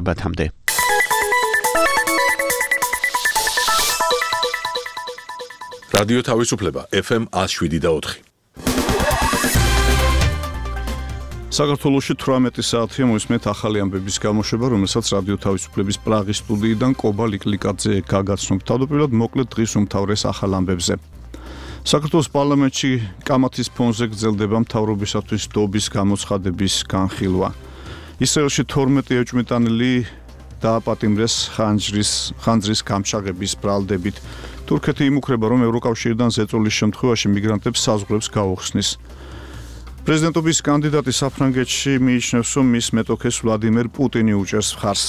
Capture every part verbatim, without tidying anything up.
ბათამდე. რადიო თავისუფლება ეფ ემ ათს შვიდი და ოთხი. საქართველოში თვრამეტი საათია მოისმენთ ახალი ამბების გამოშვება, რომელსაც რადიო თავისუფლების პრაღის სტუდიიდან კობა ლიკლიკაძე გაგაცნობთ. თავდაპირველად მოკლედ დღის უმთავრეს ახალ ამბებზე. საქართველოს პარლამენტში კამათის ფონზე გრძელდება მთავრობისათვის დობის გამოცხადების განხილვა. ისრაელში თორმეტი ეჭვმიტანილი დააპატიმრეს ხანძრის ხანძრის გამშაღების ბრალდებით. თურქეთი იმუქრება, რომ ევროკავშირიდან ზეწოლის შემთხვევაში მიგრანტებს საზღვრებს გაუხსნის. პრეზიდენტობის კანდიდატი საფრანგეთში მიიჩნევს, რომ მის მეტოქეს ვლადიმერ პუტინი უჭერს მხარს.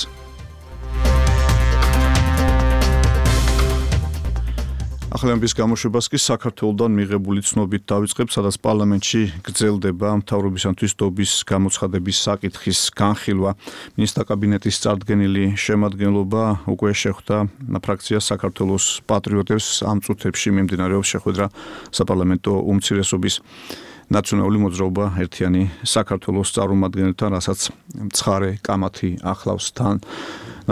ახალი ამბების გამოშვებას კი საქართველოდან მიღებული ცნობით დავიწყებ, სადაც პარლამენტში გრძელდება მთავრობისათვის დობის გამოცხადების საკითხის განხილვა. მინისტრთა კაბინეტის წარდგენილი შემადგენლობა უკვე შეხვდა ფრაქციას საქართველოს პატრიოტებს ამ წუთებში მიმდინარეობს შეხვედრა საპარლამენტო უმცირესობის ნაციონალური მოძრაობა ერთიანი საქართველოს წარმომადგენელთან, რასაც ცხარე კამათი ახლავს თან.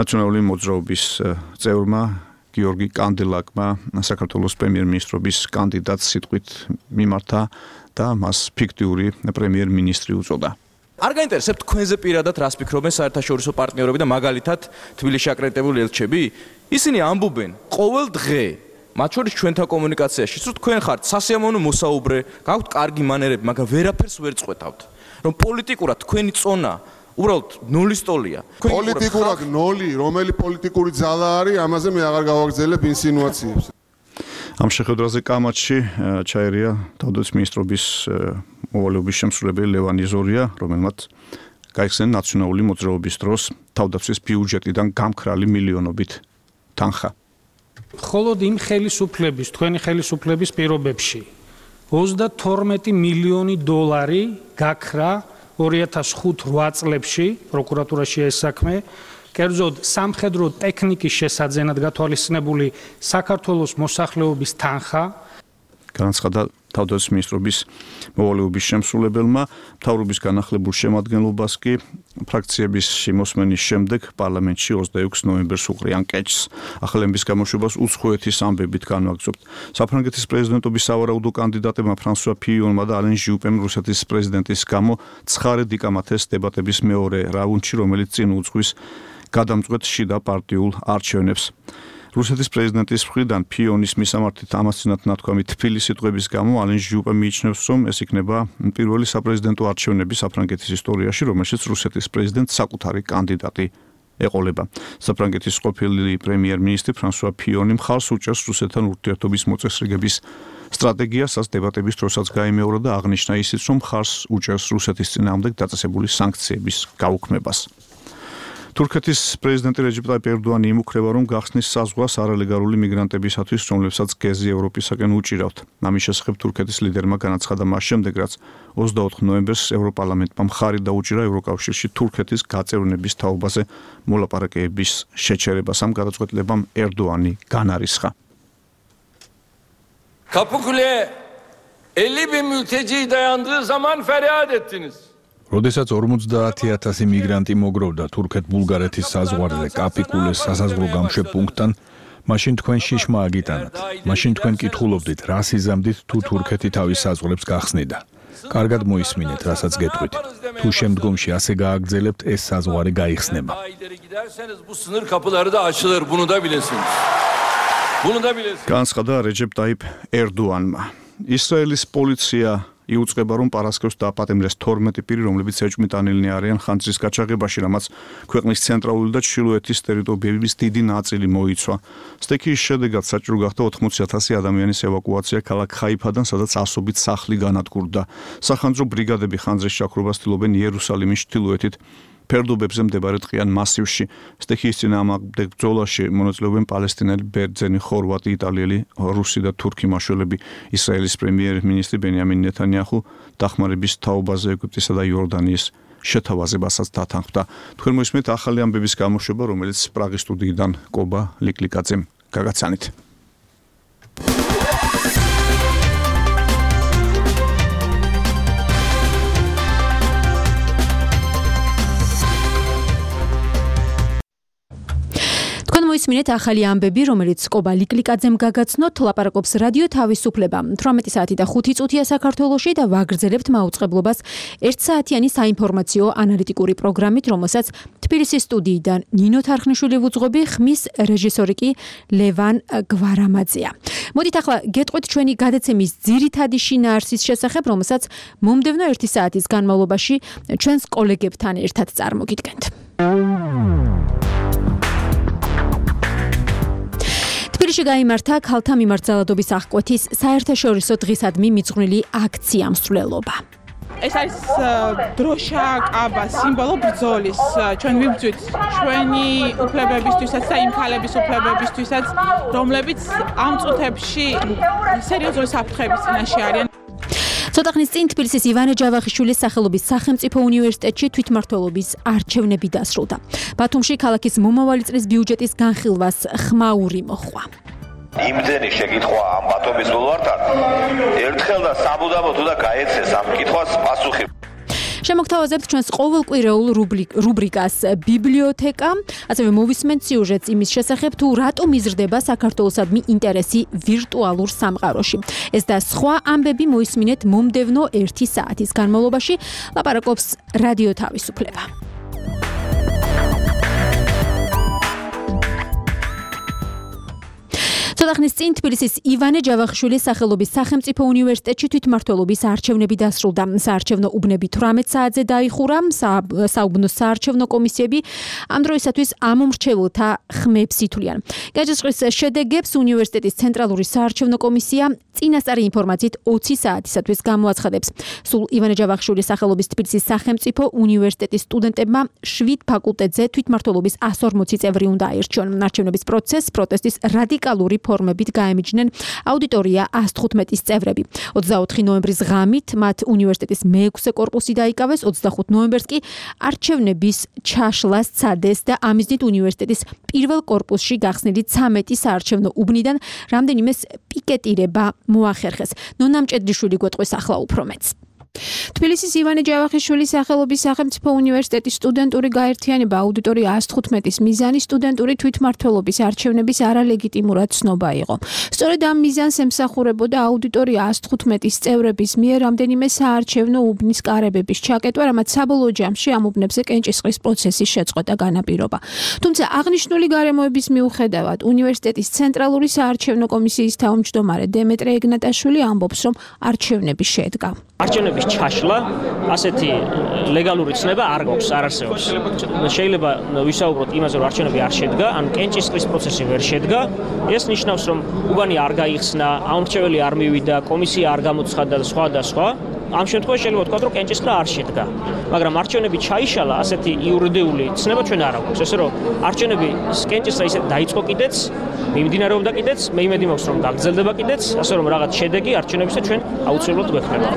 ნაციონალური მოძრაობის წევრმა გიორგი კანდელაკმა საქართველოს პრემიერ-მინისტრობის კანდიდატს სიტყვით მიმართა და მას ფიქტიური პრემიერ-მინისტრი უწოდა. არ გაინტერესებთ თქვენზე პირადად რას ფიქრობენ საერთაშორისო პარტნიორები და მაგალითად თბილისში აკრედიტებული ელჩები? ისინი ამბობენ ყოველ დღე, მათ შორის ჩვენთან კომუნიკაციაში, რომ თქვენ ხართ სასიამოვნო მოსაუბრე, გაქვთ კარგი მანერები, მაგრამ ვერაფერს ვერ წყვეთავთ. რომ პოლიტიკურად თქვენი წონა უბრალოდ ნულის ტოლია. პოლიტიკურად ნული, რომელი პოლიტიკური ძალა არის, ამაზე მე აღარ გავაგრძელებ ინსინუაციებს. ამ შეხვედრაზე კამათში ჩაერია თავდაცვის მინისტრობის მოვალეობის შემსრულებელი ლევან იზორია, რომელმაც გაიხსენა ნაციონალური მოძრაობის დროს თავდაცვის ბიუჯეტიდან გამქრალი მილიონობით თანხა. მხოლოდ იმ ხელისუფლების, თქვენი ხელისუფლების პირობებში ოცდათორმეტი მილიონი დოლარი გაქრა ორი ათას ხუთ რვა წლებში პროკურატურაში ეს საქმე, კერძოდ სამხედრო ტექნიკის შესაძენად გათვალისწინებული საქართველოს მოსახლეობის თანხა. განაცხადა თავდაცვის მინისტრობის მოვალეობის შემსრულებელმა. მთავრობის განახლებულ შემადგენლობას კი ფრაქციების შემოსმენის შემდეგ პარლამენტში ოცდაექვსი ნოემბერს უყრიან კეჭს. ახალი ამბების გამოშვებას უცხოეთის ამბებით განვაგრძობთ. საფრანგეთის პრეზიდენტობის სავარაუდო კანდიდატებმა ფრანსუა ფიიონმა და ალენ ჟიუპემ რუსეთის პრეზიდენტის გამო ცხარე დიკამათეს დებატების მეორე რაუნდში, რომელიც წინ უძღვის გადამწყვეტ შიდა პარტიულ არჩევნებს. რუსეთის პრეზიდენტის მხრიდან ფიონის მისამართით ამასწინათ ნათქვამი თბილი სიტყვების გამო ალენ ჟიუპე მიიჩნევს, რომ ეს იქნება პირველი საპრეზიდენტო არჩევნები საფრანგეთის ისტორიაში, რომელშიც რუსეთის პრეზიდენტს საკუთარი კანდიდატი ეყოლება. საფრანგეთის ყოფილი პრემიერ-მინისტრი ფრანსუა ფიონი მხარს უჭერს რუსეთთან ურთიერთობის მოწესრიგების სტრატეგიას, რაც დებატების დროსაც გაიმეორა და აღნიშნა ისიც, რომ მხარს უჭერს რუსეთის წინააღმდეგ დაწესებული სანქციების გაუქმებას. თურქეთის პრეზიდენტი რეჯეპ ტაიპ ერდოანი იმუქრება, რომ გახსნის საზღვარს არალეგალური მიგრანტებისათვის, რომლებსაც გეზი ევროპისაკენ უჭირავთ. ამის შესახებ თურქეთის ლიდერმა განაცხადა მას შემდეგ, რაც ოცდაოთხ ნოემბერს ევროპარლამენტმა მხარი დაუჭირა ევროკავშირში თურქეთის გაწევრნების თაობაზე მოლაპარაკებების შეჩერებას. ამ გადაწყვეტილებამ ერდოანი განარისხა. Kapıkule elli bin mülteci dayandığı zaman feryat ettiniz. როდესაც ორმოცდაათი ათასი მიგრანტი მოგროვდა თურქეთ-ბულგარეთის საზღვარზე კაპიკულეს სასაზღვრო გამშვებპუნქტთან, მაშინ თქვენ შიშმა აგიტანათ. მაშინ თქვენ კითხულობდით, რას იზამდით თუ თურქეთი თავის საზღვრებს გახსნიდა. კარგად მოისმინეთ, რასაც გეტყვით. თუ შემდგომში ასე გააგრძელებთ, ეს საზღვარი გაიხსნება. განაცხადა რეჯეპ ტაიპ ერდოანმა. ისრაელის პოლიცია იუწყება, რომ პარასკევს დააპატიმრეს თორმეტი პირი, რომლებიც ეჭვმიტანილნი არიან ხანძრის გაჩაღებაში, რამაც ქვეყნის ცენტრალური და ჩრდილოეთის ტერიტორიების დიდი ნაწილი მოიცვა. სტექის შედეგად საჭირო გახდა ოთხმოცი ათასი ადამიანის ევაკუაცია ქალაქ ხაიფადან, სადაც ასობით სახლი განადგურდა. სახანძრო ბრიგადები ხანძრის ჩაქრობას ცდილობენ იერუსალიმის ჩრდილოეთით ფერდობებზე მდებარე ტყიან მასივში. სტექის წინააღმდეგ ბრძოლაში მონაწილეობენ პალესტინელი, ბერძენი, ხორვატი, იტალიელი, რუსი და თურქი მაშველები. ისრაელის პრემიერ-მინისტრი ბენიამინ ნეთანიაჰუ დახმარების თაობაზე ეგვიპტესა და იორდანიის შეთავაზებასაც დათანხმდა. თქვენ მოისმენთ ახალი ამბების გამოშვება, რომელიც პრაღის სტუდიიდან კობა ლიკლიკაძემ გაგაცანით. მოისმინეთ ახალი ამბები, რომელიც კობა ლიკლიკაძემ გაგაცნოთ, ლაპარაკობს რადიო თავისუფლება. თვრამეტი საათი და ხუთი წუთია საქართველოში და ვაგრძელებთ მაუწყებლობას ერთსაათიანი საინფორმაციო ანალიტიკური პროგრამით, რომელსაც თბილისის სტუდიიდან ნინო თარხნიშვილი ვუძღვები, ხმის რეჟისორი კი ლევან გვარამაძეა. მოდით ახლა გეტყვით ჩვენი გადაცემის ძირითადი შინაარსის შესახებ, რომელსაც მომდევნო ერთი საათის განმავლობაში ჩვენს კოლეგებთან ერთად წარმოგიდგენთ. თბილისში გაიმართა ქალთა მიმართ ძალადობის აღკვეთის საერთაშორისო დღისადმი მიძღვნილი აქცია მსვლელობა. ეს არის დროშა, კაბა, სიმბოლო ბრძოლის. ჩვენ ვიბრძვით ჩვენი უფლებებისთვისაც და იმ ქალების უფლებებისთვისაც, რომლებიც ამ წუთებში სერიოზული საფრთხების წინაშე არიან. ცოტა ხნის წინ თბილისის ივანე ჯავახიშვილის სახელობის სახელმწიფო უნივერსიტეტში თვითმმართველობის არჩევნები დასრულდა. ბათუმში ქალაქის მომავალი წლის ბიუჯეტის განხილვას ხმაური მოხდა. იმდენი შეკითხვა ამ ბათუმის ბულვართან, ერთხელ და სამუდამოდ უნდა გაეცეს ამ კითხვას პასუხი. შემოგთავაზებთ ჩვენს ყოველკვირეულ რუბრიკას ბიბლიოთეკა, ასევე მოვისმენთ სიუჟეტს იმის შესახებ, თუ რატომ იზრდება საქართველოსადმი ინტერესი ვირტუალურ სამყაროში. ეს და სხვა ამბები მოისმინეთ მომდევნო ერთი საათის განმავლობაში. ლაპარაკობს რადიო თავისუფლება. ცოტა ხნის წინ თბილისის ივანე ჯავახიშვილის სახელობის სახელმწიფო უნივერსიტეტში თვითმმართველობის არჩევნები დასრულდა. საარჩევნო უბნები თვრამეტ საათზე დაიხურა. საუბნო საარჩევნო კომისიები ამ დროისათვის ამომრჩეველთა ხმებს ითვლიან. გაჯისყრის შედეგებს უნივერსიტეტის ცენტრალური საარჩევნო კომისია წინასწარი ინფორმაციით ოცი საათისათვის გამოაცხადებს. სულ ივანე ჯავახიშვილის სახელობის თბილისის სახელმწიფო უნივერსიტეტის სტუდენტებმა შვიდ ფაკულტეტზე თვითმმართველობის ასი ორმოცი წევრი უნდა აირჩიონ. არჩევნების პროცესს პროტესტის რადიკალური ფორმებით გაემიჯნენ აუდიტორია ას თხუთმეტის წევრები. ოცდაოთხი ნოემბრის ღამით მათ უნივერსიტეტის მეექვსე კორპუსი დაიკავეს, ოცდახუთ ნოემბერს კი არჩევნების ჩაშლა სცადეს და ამიზნით უნივერსიტეტის პირველ კორპუსში გახსნილი ცამეტი საარჩევნო უბნიდან რამდენიმეს პიკეტირება მოახერხეს. ნონა მჭედლიშვილი გვეტყვის ახლა უფრო მეც. თბილისის ივანე ჯავახიშვილის სახელობის სახელმწიფო უნივერსიტეტის სტუდენტური გაერთიანება აუდიტორია ას თხუთმეტის მიზანი სტუდენტური თვითმმართველობის არჩევნების არალეგიტიმურად ცნობა იყო. სწორედ ამ მიზანს ემსახურებოდა აუდიტორია ას თხუთმეტის წევრების მიერ რამდენიმე საარჩევნო უბნის კარებების ჩაკეტვა, რამაც საბოლოო ჯამში ამ უბნებზე კენჭისყრის პროცესის შეწყვეტა განაპირობა. თუმცა აღნიშნული გარემოების მიუხედავად უნივერსიტეტის ცენტრალური საარჩევნო კომისიის თავმჯდომარე დემეტრე ეგნატაშვილი ამბობს, რომ არჩევნები შედგა. არჩევნების ჩაშლა ასეთი ლეგალური ცნება არ გვაქვს, არ არსებობს. შეიძლება ვისაუბროთ იმაზე, რომ არჩევნები არ შედგა, ანუ კენჭისყრის პროცესი ვერ შედგა. ეს ნიშნავს, რომ უბანი არ გაიხსნა, ამორჩეველი არ მივიდა, კომისია არ გამოცხადდა და სხვა და სხვა. ამ შემთხვევაში შეიძლება ვთქვათ, რომ კენჭისყრა არ შედგა. მაგრამ არჩევნები ჩაიშალა, ასეთი იურიდიული ცნება ჩვენ არ აქვს. ესე რომ არჩევნები კენჭისყრა ისე დაიწყო კიდეც, მიმდინარეობდა კიდეც, მე იმედი მაქვს, რომ გაგრძელდება კიდეც, ასე რომ რაღაც შედეგი არჩევნებისა ჩვენ აუცილებლად გვექნება.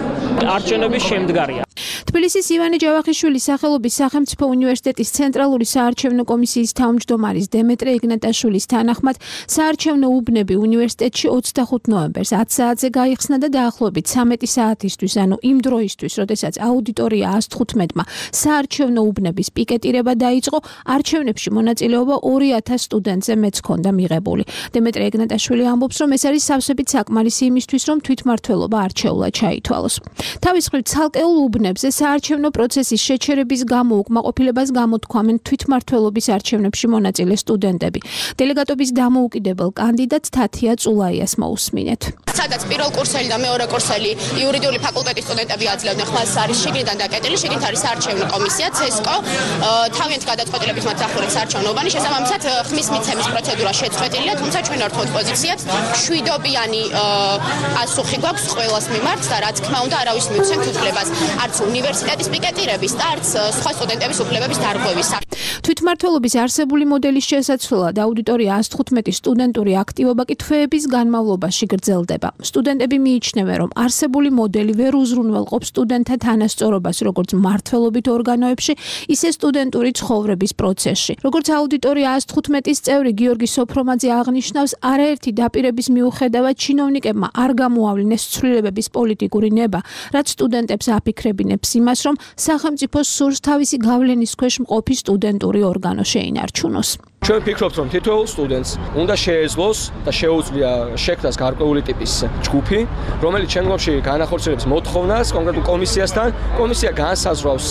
არჩევნები შემდგარია. თბილისის ივანე ჯავახიშვილის სახელობის სახელმწიფო უნივერსიტეტის ცენტრალური საარჩევნო კომისიის თავმჯდომარის დემეტრე ეგნატაშვილის თანახმად საარჩევნო უბნები უნივერსიტეტში ოცდახუთ ნოემბერს ათ საათზე გაიხსნა და დაახლოებით ცამეტი საათისთვის, ანუ იმ დროისთვის, როდესაც აუდიტორია ას თხუთმეტმა საარჩევნო უბნების პიკეტირება დაიწყო, არჩევნებში მონაწილეობა ორი ათას სტუდენტზე მეც ჰქონდა მიღებული. დემეტრე ეგნატაშვილი ამბობს, რომ ეს არის სავსებით საკმარისი იმისთვის, რომ თვითმმართველობა არჩეულად ჩაითვალოს. თავის მხრივ ცალკეულ უბნებზე საარჩევნო პროცესის შეჩერების გამო უკმაყოფილებას გამოთქვამენ თვითმმართველობის არჩევნებში მონაწილე სტუდენტები. დელეგატობის დამოუკიდებელ კანდიდატ თათია წულაიას მოусმინეთ. სადაც პირველ კურსელი და მეორე კურსელი იურიდიული ფაკულტეტის სტუდენტები აძლევდნენ ხმას, არის შიგნიდან დაკეტილი, შიგნით არის საარჩევნო კომისია ცესკო, თავიანთი გადაწყვეტილებით მათ ახურებს არჩევნობანი, შესაბამისად ხმის მიცემის პროცედურა შეწყვეტილია, თუმცა ჩვენ არ ვთქვათ პოზიციებს, შვიდობიანი პასუხი გვაქვს ყველას მიმართ და რაც თქმა უნდა არავის მიუცემთ უფლებას, არც უნივერსიტეტის პიკეტირების და არც სხვა სტუდენტების უფლებების დარღვევის. თვითმმართველობის არსებული მოდელის შესაცვლელად აუდიტორია ას თხუთმეტის სტუდენტური აქტივობა კი თვეების განმავლობაში გრძელდება. სტუდენტები მიიჩნევენ, რომ არსებული მოდელი ვერ უზრუნველყოფს სტუდენტთა თანასწორობას როგორც მმართველობით ორგანოებში, ისე სტუდენტური ცხოვრების პროცესში. როგორც აუდიტორია ას თხუთმეტის წევრი გიორგი სოფრომაძე აღნიშნავს, არაერთი დაპირების მიუხედავად ჩინოვნიკებმა არ გამოავლინეს ცვლილებების პოლიტიკური ნება, რაც სტუდენტებს აფიქრებინებს იმას, რომ სახელმწიფო სურს თავისი გავლენის ქვეშ მყოფი სტუდენტური ორგანო შეინარჩუნოს. ჩვენ ვფიქრობთ, რომ თითოეულ სტუდენტს უნდა შეეძლოს და შეუძლია შექმნას გარკვეული ტიპის ჯგუფი, რომელიც შემდგომში განახორციელებს მოთხოვნას კონკრეტულ კომისიასთან. კომისია განსაზღვრავს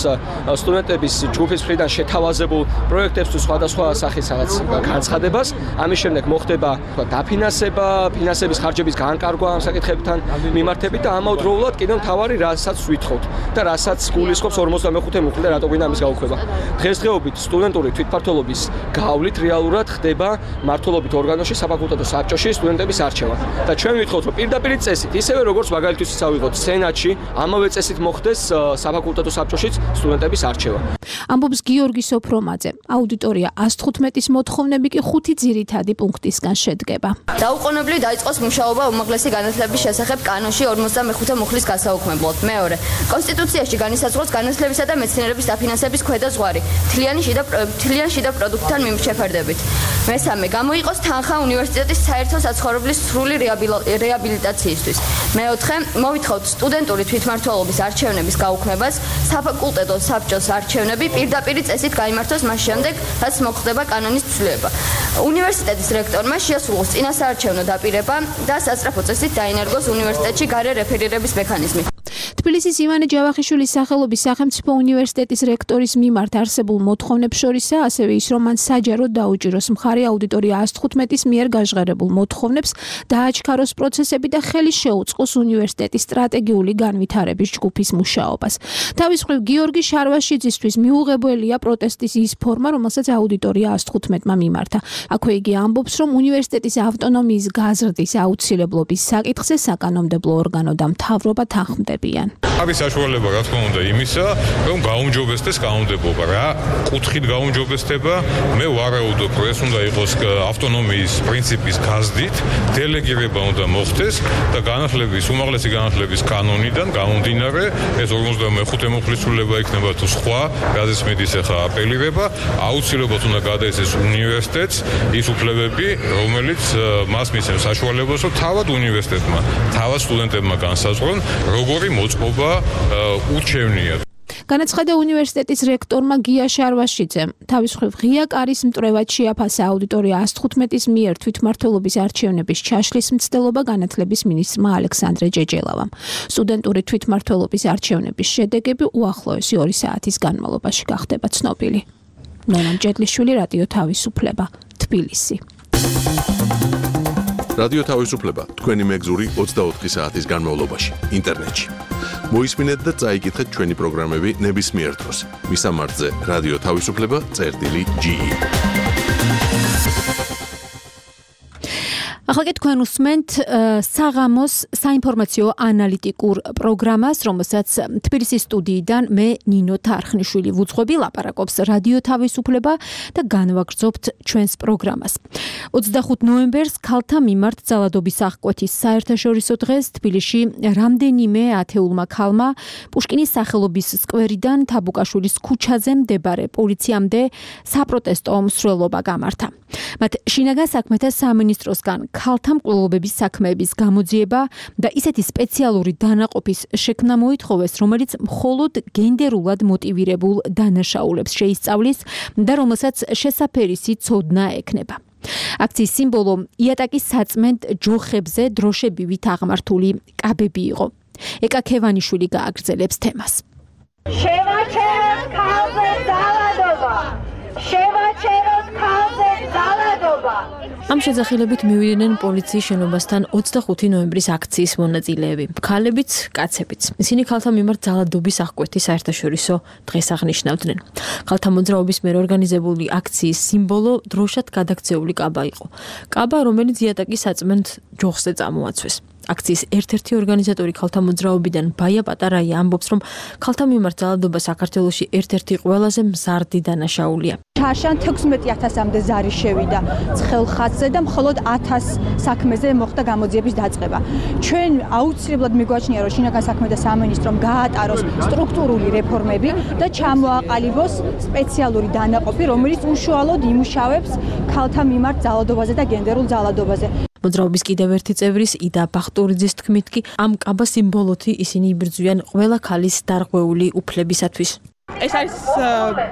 სტუდენტების ჯგუფის მხრიდან შეთავაზებულ პროექტებს თუ სხვადასხვა სახის რაღაც განცხადებას. ამის შემდეგ მოხდება დაფინანსება, ფინანსების ხარჯების განკარგვა ამ საკითხებთან მიმართებით და ამავდროულად კიდევ მთავარი რასაც ვითხოვთ და რასაც გულისხმობს ორმოცდამეხუთე მუხლი და რატო გვინდა ამის გაუქმება. დღესდღეობით სტუდენტური თვითმმართველობის გავლით რეალურად ხდება მმართველობით ორგანოში საფაკულტეტო საბჭოში სტუდენტების არჩევა. და ჩვენ ვითხოვთ, რომ პირდაპირ წესით, ისევე როგორც მაგალითად ვისაუბროთ სენატში, ამავე წესით მოხდეს საფაკულტეტო საბჭოშიც სტუდენტების არჩევა. ამბობს გიორგი სოფრომაძე. აუდიტორია ას თხუთმეტის მოთხოვნები კი ხუთი ძირითადი პუნქტისგან შედგება. დაუყოვნებლივ დაიწყოს მუშაობა უმაღლესი განათლების შესახებ კანონში ორმოცდამეხუთე მუხლის გასაუქმებლად. მეორე, კონსტიტუციაში განისაზღვროს განათლებისა და მეცნიერების დაფინანსების ქვედა ზღვარი, თლიანი შიდა თლიან შიდა პროდუქტთან მიმოჩეფერდებით. მესამე, გამოიყოს თანხა უნივერსიტეტის საერთო საცხოვრებლის სრული რეაბილიტაციისთვის. მეოთხე, მოვითხოვთ სტუდენტური თვითმმართველობის არჩევნების გაუქმებას, საფაკულტეტო საბჭოს არჩევნები პირდაპირ წესით გაიმართოს მას შემდეგ, რაც მოხდება კანონის ცვლილება. უნივერსიტეტის რექტორმა შეასრულოს წინასაარჩევნო დაპირება და სასწრაფო წესით დაინერგოს უნივერსიტეტში გარე რეფერირების მექანიზმი. თბილისის ივანე ჯავახიშვილის სახელობის სახელმწიფო უნივერსიტეტის რექტორის მიმართ არსებულ მოთხოვნებს შორისაა ასევე ის, რომ მან საჯაროდ დაუჭიროს მხარი აუდიტორია ას თხუთმეტის მიერ გაჟღერებულ მოთხოვნებს, დააჩქაროს პროცესები და ხელი შეუწყოს უნივერსიტეტის სტრატეგიული განვითარების ჯგუფის მუშაობას. თავის მხრივ გიორგი შარვაშიძისთვის მიუღებელია პროტესტის ის ფორმა, რომელსაც აუდიტორია ას თხუთმეტმა მიმართა. აქვე იგი ამბობს, რომ უნივერსიტეტის ავტონომიის გაზრდის აუცილებლობის საკითხზე საკანონმდებლო ორგანო და მთავრობა თანხმდებიან. არის საშუალება, რა თქმა უნდა, იმისა, რომ გაუმჯობესდეს კანონმდებლობა. რა კუთხით გაუმჯობესდება, მე ვარაუდობ, რომ ეს უნდა იყოს ავტონომიის პრინციპის გაზრდით, დელეგირება უნდა მოხდეს და განათლების, უმაღლესი განათლების კანონიდან გამომდინარე, ეს ორმოცდამეხუთე მუხლის ცვლილება იქნება თუ სხვა, რაზეც მიდის ახლა აპელირება, აუცილებლად უნდა გადაეცეს უნივერსიტეტს ის უფლებები, რომელიც მას მისცემს საშუალებას, რომ თავად უნივერსიტეტმა, თავად სტუდენტებმა განსაზღვრონ, როგორი მოწყობა ურჩევნია. განაცხადა უნივერსიტეტის რექტორმა გია შარვაშიძემ. თავის მხრივ ღია კარის მტრევად შეაფასა აუდიტორია ას თხუთმეტის მიერ თვითმმართველობის არჩევნების ჩაშლის მცდელობა განათლების მინისტრმა ალექსანდრე ჯეჯელავამ. სტუდენტური თვითმმართველობის არჩევნების შედეგები უახლოესი ორი საათის განმავლობაში გახდება ცნობილი. ნონა მჭედლიშვილი, რადიო თავისუფლება, თბილისი. რადიო თავისუფლება თქვენი მეგზური ოცდაოთხი საათის განმავლობაში ინტერნეტში. მოისმინეთ და წაიკითხეთ ჩვენი პროგრამები ნებისმიერ დროს. მისამართზე რადიო თავისუფლება წერტილი ჯი. ახლა კი თქვენ უსმენთ საღამოს საინფორმაციო ანალიტიკურ პროგრამას, რომელსაც თბილისის სტუდიიდან მე ნინო თარხნიშვილი ვუძღვები, ლაპარაკობს რადიო თავისუფლება და განვაგრძობთ ჩვენს პროგრამას. ოცდახუთი ნოემბერს ქალთა მიმართ ძალადობის აღკვეთის საერთაშორისო დღეს თბილისში რამდენიმე ათეულმა ქალმა პუშკინის სახელობის სკვერიდან თაბუკაშვილის ქუჩაზე მდებარე პოლიციამდე საპროტესტო მსვლელობა გამართა. მათ შინაგან საქმეთა სამინისტროსგან ქალთა მკვლელობების საქმეების გამოძიება და ისეთი სპეციალური დანაყოფის შექმნა მოითხოვეს, რომელიც მხოლოდ გენდერულად მოტივირებულ დანაშაულებს შეისწავლის და რომელსაც შესაფერისი ცოდნა ექნება. აქციის სიმბოლო იატაკის საწმენდ ჯოხებზე დროშებივით აღმართული კაბები იყო. ეკა ქევანიშვილი გააგრძელებს თემას. შევაჩეროთ ქალზე ძალადობა! შევაჩეროთ ქალზე ძალადობა! ამ შეძახილებით მივიდნენ პოლიციის შენობასთან ოცდახუთი ნოემბრის აქციის მონაწილეები, ქალებიც, კაცებიც. ისინი ქალთა მიმართ ძალადობის აღკვეთის საერთაშორისო დღეს აღნიშნავდნენ. ქალთა მოძრაობის მიერ ორგანიზებული აქციის სიმბოლო დროშად გადაქცეული კაბა იყო. კაბა, რომელიც იატაკის საწმენდ ჯოხზე წამოაცვეს. აქციის ერთ-ერთი ორგანიზატორი ქალთა მოძრაობიდან ბაია პატარაია ამბობს, რომ ქალთა მიმართ ძალადობა საქართველოში ერთ-ერთი ყველაზე მზარდი დანაშაულია. ჩარშან თექვსმეტი ათასამდე ზარი შევიდა ცხელ ხაზზე და მხოლოდ ათას საქმეზე მოხდა გამოძიების დაწყება. ჩვენ აუცილებლად მიგვაჩნია, რომ შინაგან საქმეთა სამინისტრომ გაატაროს სტრუქტურული რეფორმები და ჩამოაყალიბოს სპეციალური დანაყოფი, რომელიც უშუალოდ იმუშავებს ქალთა მიმართ ძალადობაზე და გენდერულ ძალადობაზე. მოძრაობის კიდევ ერთი წევრის იდა ბახტურიძის თქმით კი ამ კაბა სიმბოლოთი ისინი იბრძვიან ყველა ქალის დარღვეული უფლებისათვის. ეს არის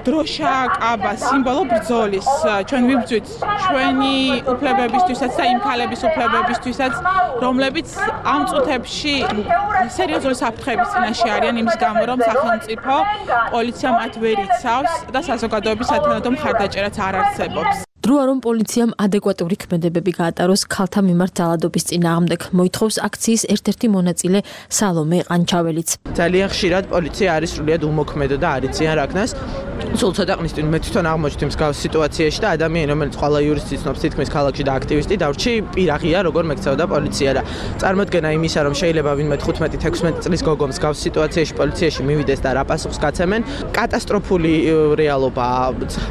დროშა, კაბა, სიმბოლო ბრძოლის. ჩვენ ვიბრძვით ჩვენი უფლებებისთვისაც და იმ ქალების უფლებებისთვისაც, რომლებიც ამ წუთებში სერიოზული საფრთხეების წინაშე არიან იმის გამო, რომ სახელმწიფო პოლიცია მათ ვერ იცავს და საზოგადოების სათანადო მხარდაჭერაც არ არსებობს. დროა რომ პოლიციამ ადეკვატური ქმედებები გაატაროს ქალთა მიმართ ძალადობის წინააღმდეგ, მოითხოვს აქციის ერთ-ერთი მონაწილე სალომე ყანჩაველიც. ძალიან ხშირად პოლიცია არის სრულიად უმოქმედო და არ იციან რა ქნას. სულ ცოტა ხნის წინ მე თვითონ აღმოჩნდი მსგავს სიტუაციაში და ადამიანი, რომელიც ყველა იურისტი ცნობს თითქმის ქალაქში და აქტივისტი დავრჩი, პირაღია როგორ მექცეოდა პოლიცია და წარმოადგენა იმისა, რომ შეიძლება ვინმე თხუთმეტი თექვსმეტი წლის გოგო მსგავს სიტუაციაში პოლიციაში მივიდეს და რა პასუხს გაცემენ, კატასტროფული რეალობაა.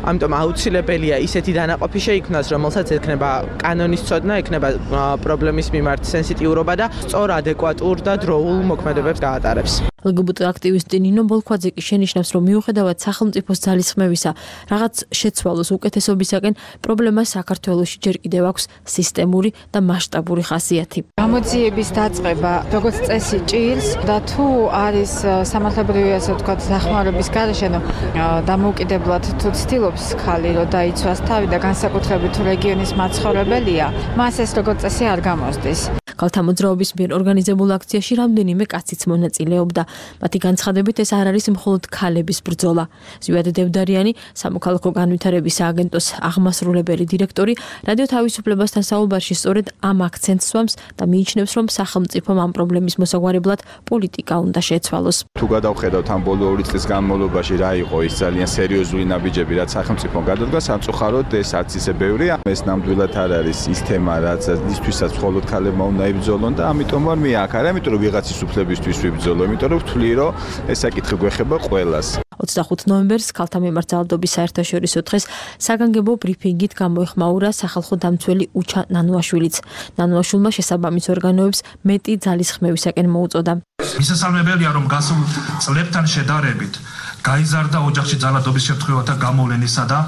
ამიტომ აუცილებელია ისეთი დანა ყოფი შეიქმნას, რომელსაც ექნება კანონის ცოდნა, ექნება პრობლემის მიმართ სენსიტიურობა და სწორ ადეკვატურ და დროულ მოქმედებებს გაატარებს. ლგბტ აქტივისტი ნინო ბოლქვაძე კი შენიშნავს, რომ მიუხედავად სახელმწიფოს ძალისხმევისა, რაღაც შეცვალოს უკეთესობისაკენ, პრობლემა საქართველოში ჯერ კიდევ აქვს სისტემური და მასშტაბური ხასიათი. გამოძიების დაწყება, როგორც წესი ჭირს და თუ არის სამართლებრივი ასე ვთქვათ დახმარების გარეშე, დამოუკიდებლად თუ ცდილობს ხალი, რომ დაიცვას თავი და განსაკუთრებით თუ რეგიონის მაცხოვრებელია, მას ეს როგორც წესი არ გამოსდის. ქალთა მოძრაობის მიერ ორგანიზებულ აქციაში რამდენიმე კაციც მონაწილეობდა. მათი განცხადებით ეს არ არის მხოლოდ ქალების ბრძოლა. ზვიად დევდარიანი, სამოქალაქო განვითარების სააგენტოს აღმასრულებელი დირექტორი, რადიო თავისუფლებასთან საუბარში სწორედ ამ აქცენტს სვამს და მიიჩნევს, რომ სახელმწიფომ ამ პრობლემის მოსაგვარებლად პოლიტიკა უნდა შეცვალოს. თუ გადავხედავთ ამ ბოლო ორი წლის განმავლობაში რა იყო ის ძალიან სერიოზული ნაბიჯები, რაც სახელმწიფომ გადადგა, სამწუხაროდ ეს არც ისე ბევრია. ეს ნამდვილად არ არის ის თემა, რაც ისთვისაც მხოლოდ ქალებმა უნდა იბრძოლონ და ამიტომ ვარ მე აქ, არა იმიტომ რომ ვიღაცის უფლებისთვის ვიბრძოლო, იმიტომ რომ ვთვლი, რომ ეს საკითხი გვეხება ყველას. ოცდახუთი ნოემბერს ქალთა მიმართ ძალადობის საერთაშორისო დღეს საგანგებო ბრიფინგით გამოეხმაურა სახალხო დამცველი უჩა ნანუაშვილიც. ნანუაშვილმა შესაბამის ორგანოებს მეტი ძალისხმევისაკენ მოუწოდა. მისასალმებელია, რომ გასულ წლებთან შედარებით გაიზარდა ოჯახში ძალადობის შემთხვევათა გამოვლენისა და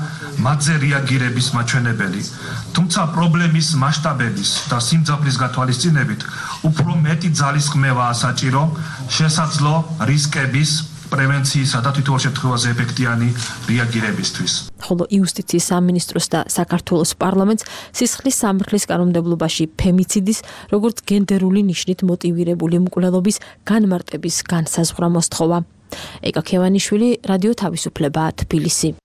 მათზე რეაგირების მაჩვენებელი. თუმცა პრობლემის მასშტაბების და სიმძაფრის გათვალისწინებით უფრო მეტი ძალისხმევაა საჭირო შესაძლო რისკების პრევენციისა და თითოეულ შემთხვევაზე ეფექტიანი რეაგირებისთვის. ხოლო იუსტიციის სამინისტროს და საქართველოს პარლამენტს სისხლის სამართლის კანონმდებლობაში ფემიციდის, როგორც გენდერული ნიშნით მოტივირებული მკვლელობის განმარტების განსაზღვრა მოსთხოვა. ეკა ქევანიშვილი, რადიო თავისუფლება, თბილისი.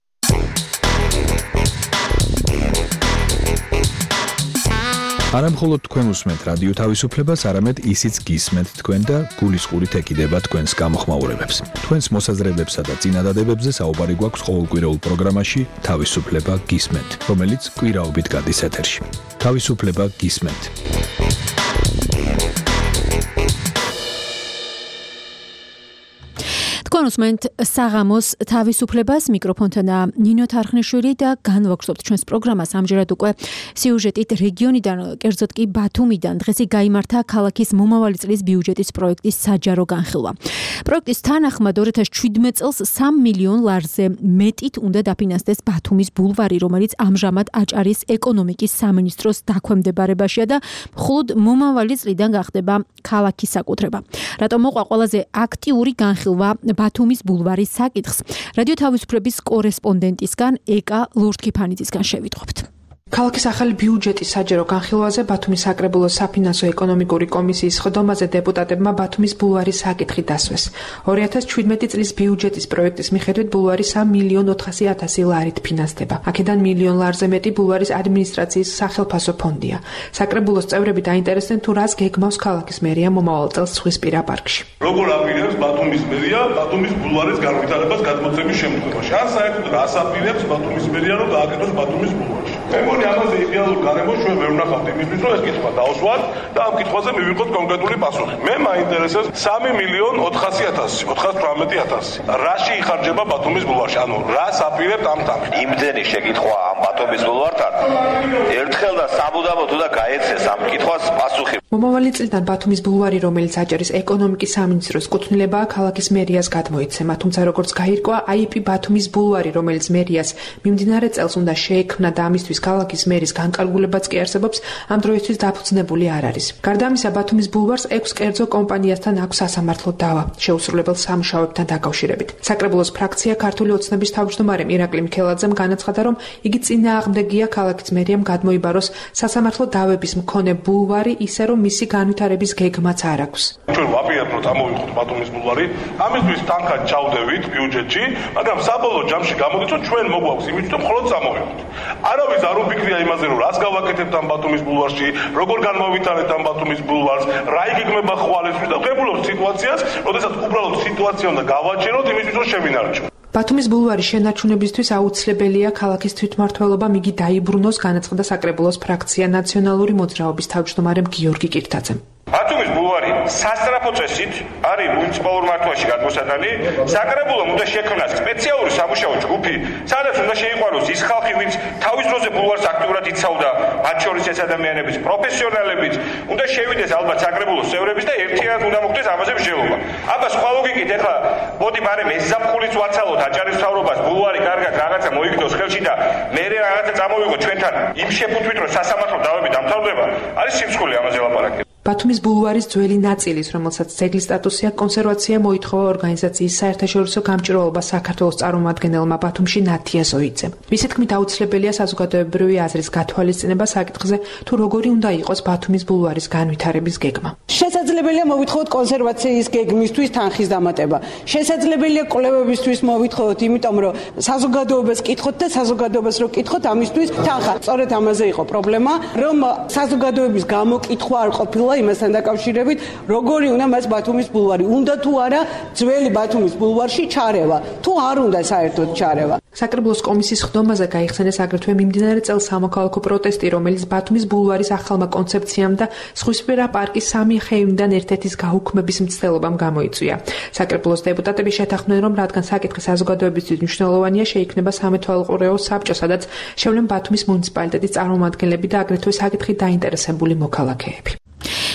არა მხოლოდ თქვენ უსმენთ რადიო თავისუფლებას, არამედ ისიც გისმენთ თქვენ და გულისყურით ეკიდება თქვენს გამოხმაურებებს. თქვენს მოსაზრებებსა და წინადადებებზე საუბარი გვაქვს ყოველკვირეულ პროგრამაში თავისუფლება გისმენთ, რომელიც კვირაობით გადის ეთერში. თავისუფლება გისმენთ. თქვენ უსმენთ საღამოს თავისუფლებას, მიკროფონთან ნინო თარხნიშვილი და განვაგრძობთ ჩვენს პროგრამას ამჯერად უკვე სიუჟეტით რეგიონიდან, კერძოდ კი ბათუმიდან. დღეს გაიმართა ქალაქის მომავალი წლის ბიუჯეტის პროექტის საჯარო განხილვა. პროექტის თანახმად ორი ათას შვიდმეტ წელს სამ მილიონ ლარზე მეტით უნდა დაფინანსდეს ბათუმის ბულვარი, რომელიც ამჟამად აჭარის ეკონომიკის სამინისტროს დაქვემდებარებაშია და მხოლოდ მომავალი წლიდან გახდება ქალაქის საკუთრება. რატომ მოყვა ყველაზე აქტიური განხილვა ბათუმის ბულვარის საკითხს? რადიო თავისუფლების კორესპონდენტისგან ეკა ლურთქიფანიძისგან შევიტყვებთ. ქალაქის ახალი ბიუჯეტის საჯარო განხილვაზე ბათუმის საკრებულოს საფინანსო ეკონომიკური კომისიის ხდომაზე დეპუტატებმა ბათუმის ბულვარის საკითხი დასვეს. ორი ათას შვიდმეტი წლის ბიუჯეტის პროექტის მიხედვით ბულვარი სამ მილიონ ოთხასი ათასი ლარით ფინანსდება. აქედან მილიონ ლარზე მეტი ბულვარის ადმინისტრაციის სახელფასო ფონდია. საკრებულოს წევრები დაინტერესდნენ თუ რას გეგმავს ქალაქის მერია მომავალ წელს ზღვისპირა პარკში. როგორ აპირებს ბათუმის მერია ბათუმის ბულვარის განვითარებას გადმოცემის შემთხვევაში? ან საერთოდ რას აპირებს ბათუმის მერია რომ გააკეთოს ბათუმის ბულვარში? მე მგონი ამაზე იდეალურ გარემოს ჩვენ ვერ ვნახავთ იმისთვის, რომ ეს კითხვა დავსვათ და ამ კითხვაზე მივიღოთ კონკრეტული პასუხი. მე მაინტერესებს სამი მილიონ ოთხასი ათასი, ოთხას თვრამეტი ათასი. რაში იხარჯება ბათუმის ბულვარში? ანუ რას აპირებთ ამ თამაში? იმდენი შეკითხვა ამ ბათუმის ბულვართან. ერთხელ და საბუდამოდ უნდა გაეცეს ამ კითხვას პასუხი. მომავალი წლიდან ბათუმის ბულვარი, რომელიც აჭარის ეკონომიკის სამინისტროს კუთვნილებაა, ქალაქის მერიას გადმოიცემა, თუმცა როგორც გაირკვა, აი პი ბათუმის ბულვარი, რომელიც მერიას მიმდინარე წელს უნდა შეექმნა და ამისთვის ქალაქის მერის განკარგულებაც კი არსებობს, ამ დროისთვის დაფუძნებული არ არის. გარდა ამისა, ბათუმის ბულვარს ექვს კერძო კომპანიასთან აქვს სასამართლო დავა, შეუსრულებელ სამუშაოებთან დაკავშირებით. საკრებულოს ფრაქცია ქართული ოცნების თავმჯდომარემ ირაკლი მიქელაძემ განაცხადა, რომ იგი წინააღმდეგია ქალაქის მერიამ გადმოიბაროს სასამართლო დავების მქონე ბულვარი, ისე რომ მისი განვითარების გეგმაც არ აქვს. ჩვენ ვაპირებთ, რომ წამოვიდეთ ბათუმის ბულვარი, ამისთვის თანხად ჩავდევით ბიუჯეტში, მაგრამ საბოლოო ჯამში გამოდის, რომ ჩვენ მოგვაქვს იმით, რომ მხოლოდ წამოვიდეთ. არავის არ უფიქრია იმაზე, რომ რას გავაკეთებთ ამ ბათუმის ბულვარში, როგორ განმოვითარებთ ამ ბათუმის ბულვარს, რა იგეგმება ხვალისთვის და ვღებულობთ სიტუაციას, როდესაც უბრალოდ სიტუაცია უნდა გავაჩეროთ იმისთვის, რომ შევინარჩუნოთ. ბათუმის ბულვარის შენარჩუნებისთვის აუცილებელია ქალაქის თვითმმართველობამ იგი დაიბრუნოს, განაცხადა საკრებულოს ფრაქცია ნაციონალური მოძრაობის თავმჯდომარემ გიორგი კირთაძემ. ბათუმის ბულვარი სასწრაფო წესით არის მუნიციპალურ მართვაში გადმოსატანი. საკრებულომ უნდა შექმნას სპეციალური სამუშაო ჯგუფი, სადაც უნდა შეიყვანოს ის ხალხი, ვინც თავის დროზე ბულვარს აქტიურად იცავდა, მათ შორის ეს ადამიანების პროფესიონალებიც, უნდა შევიდეს ალბათ საკრებულოს წევრებიც და ერთიანად უნდა მოხდეს ამაზე მსჯელობა. აბა სხვა ლოგიკით ახლა მოდი ბარემ ეს ზაფხულიც ვაცალოთ აჭარის მთავრობას, ბულვარი კარგად რაღაცა მოიგდოს ხელში და მე რაღაცა წამოვიღო ჩვენთან იმ შეფუთვით, რომ სასამართლო დავები დამთავრდება, არის სიმსხვილი ამაზე ლაპარაკი. ბათუმის ბულვარის ძველი ნაწილის, რომელსაც ძეგლის სტატუსი აქვს, კონსერვაცია მოითხოვა ორგანიზაციის საერთაშორისო გამჭირვალობა საქართველოს წარმომადგენელმა ბათუმში ნათია ზოიძემ. მისი თქმით, აუცილებელია საზოგადოებრივი აზრის გათვალისწინება საკითხზე, თუ როგორი უნდა იყოს ბათუმის ბულვარის განვითარების გეგმა. შესაძლებელია მოვითხოვოთ კონსერვაციის გეგმისთვის თანხის დამატება. შესაძლებელია კვლევებისთვის მოვითხოვოთ, იმიტომ რომ საზოგადოებას კითხოთ და საზოგადოებას რო კითხოთ, ამისთვის თანხა. სწორედ ამაზე იყო პრობლემა, რომ საზოგადოების გამოკითხვა არ ყოფილა იმასთან დაკავშირებით, როგორი უნდა მას ბათუმის ბულვარი, უნდა თუ არა ძველი ბათუმის ბულვარში ჩარევა, თუ არ უნდა საერთოდ ჩარევა. საკრებულოს კომისიის ხდომაზე გაიხსენეს აგრეთვე მიმდინარე წელს სამოქალაქო პროტესტი, რომელიც ბათუმის ბულვარის ახალმა კონცეფციამ და ზღვისპირა პარკის სამი ხეივიდან ერთ-ერთის გაუქმების მცდელობამ გამოიწვია. საკრებულოს დეპუტატები შეთანხმდნენ, რომ რადგან საკითხი საზოგადოებისთვის მნიშვნელოვანია, შეიქმნება სამეთვალყურეო საბჭო, სადაც შევლენ ბათუმის მუნიციპალიტეტის წარმომადგენლები და აგრეთვე საკითხით დაინტერესებული მოქალაქეები.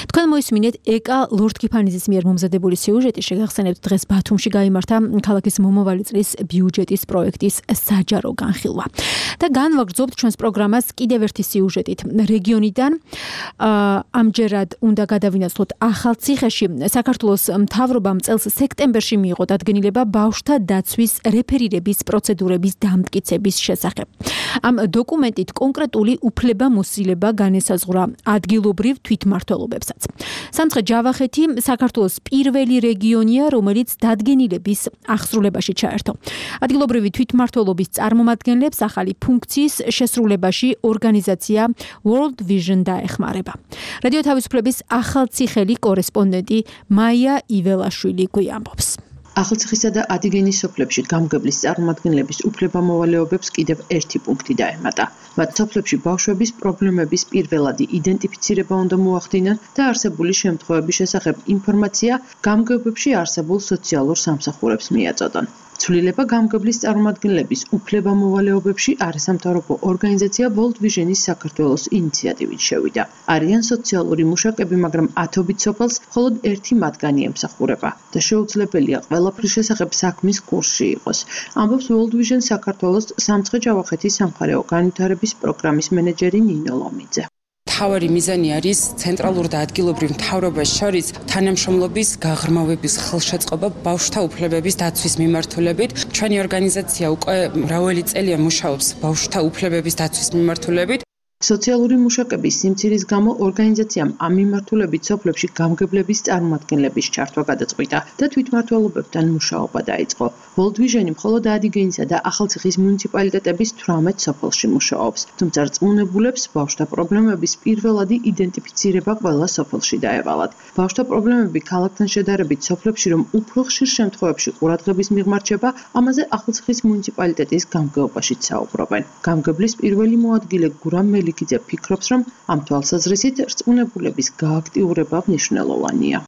თქვენ მოისმინეთ ეკა ლორდ კიფანიძის მიერ მომზადებული სიუჟეტი. შეგახსენებთ, დღეს ბათუმში გაიმართა ქალაქის მომავალი წლის ბიუჯეტის პროექტის საჯარო განხილვა. და განვაგრძობთ ჩვენს პროგრამას კიდევ ერთი სიუჟეტით. რეგიონიდან ამჯერად უნდა გადავინაცვლოთ ახალციხეში. საქართველოს მთავრობამ წელს სექტემბერში მიიღო დადგენილება ბავშვთა დაცვის რეფერირების პროცედურების დამტკიცების შესახებ. ამ დოკუმენტით კონკრეტული უფლებამოსილება განესაზღვრა ადგილობრივ თვითმმართველობებსაც. სამცხე-ჯავახეთი საქართველოს პირველი რეგიონია, რომელიც დადგენილების ახსრულებაში ჩაერთო. ადგილობრივი თვითმმართველობის წარმომადგენლებს ახალი ფუნქციის შესრულებაში ორგანიზაცია World Vision დაეხმარება. რადიო თავისუფლების ახალციხელი კორესპონდენტი მაია იველაშვილი გვიამბობს. ახალციხისა და ადიგენის სოფლებში გამგებლის წარმომადგენლების უფლებამოვალეობებს კიდევ ერთი პუნქტი დაემატა. მათ სოფლებში ბავშვების პრობლემების პირველადი იდენტიფიცირება უნდა მოახდინონ და არსებული შემთხვევების შესახებ ინფორმაცია გამგებებში არსებულ სოციალურ სამსახურებს მიაწოდონ. ცვლილება გამგებლის წარმომადგენლების უფლებამოვალეობებში არასამთავრობო ორგანიზაცია World Vision-ის საქართველოს ინიციატივით შევიდა. არიან სოციალური მუშაკები, მაგრამ ათობით სოფელს მხოლოდ ერთი მათგანი ემსახურება და შეუძლებელია ყველაფრის შესახებ საქმის კურსში იყოს. ამბობს World Vision საქართველოს სამცხე-ჯავახეთის სამხარეო განვითარების პროგრამის მენეჯერი ნინო ლომიძე. მთავარი მიზანი არის ცენტრალურ და ადგილობრივ მთავრობას შორის თანამშრომლობის გაღრმავების ხელშეწყობა ბავშვთა უფლებების დაცვის მიმართულებით. ჩვენი ორგანიზაცია უკვე მრავალი წელია მუშაობს ბავშვთა უფლებების დაცვის მიმართულებით. სოციალური მუშაკების სიმცირის გამო ორგანიზაციამ ამ მიმართულებით სოფლებში გამგებლების წარმომადგენლების ჩართვა გადაწყვიტა და თვითმმართველობებთან მუშაობა დაიწყო. World Vision მხოლოდ ადიგენისა და ახალციხის მუნიციპალიტეტების თვრამეტ სოფელში მუშაობს, თუმცა რწმუნებულებს ბავშვთა პრობლემების პირველადი იდენტიფიცირება ყველა სოფელში დაევალათ. ბავშვთა პრობლემები ქალაქთან შედარებით სოფლებში რომ უფრო ხშირ შემთხვევებში ყურადღების მიღმარჩება, ამაზე ახალციხის მუნიციპალიტეტის გამგეობაშიც საუბრობენ. გამგებლის პირველი მოადგილე გურამ მელიქიძე ფიქრობს, რომ ამ თვალსაზრისით რწმუნებულების გააქტიურება მნიშვნელოვანია.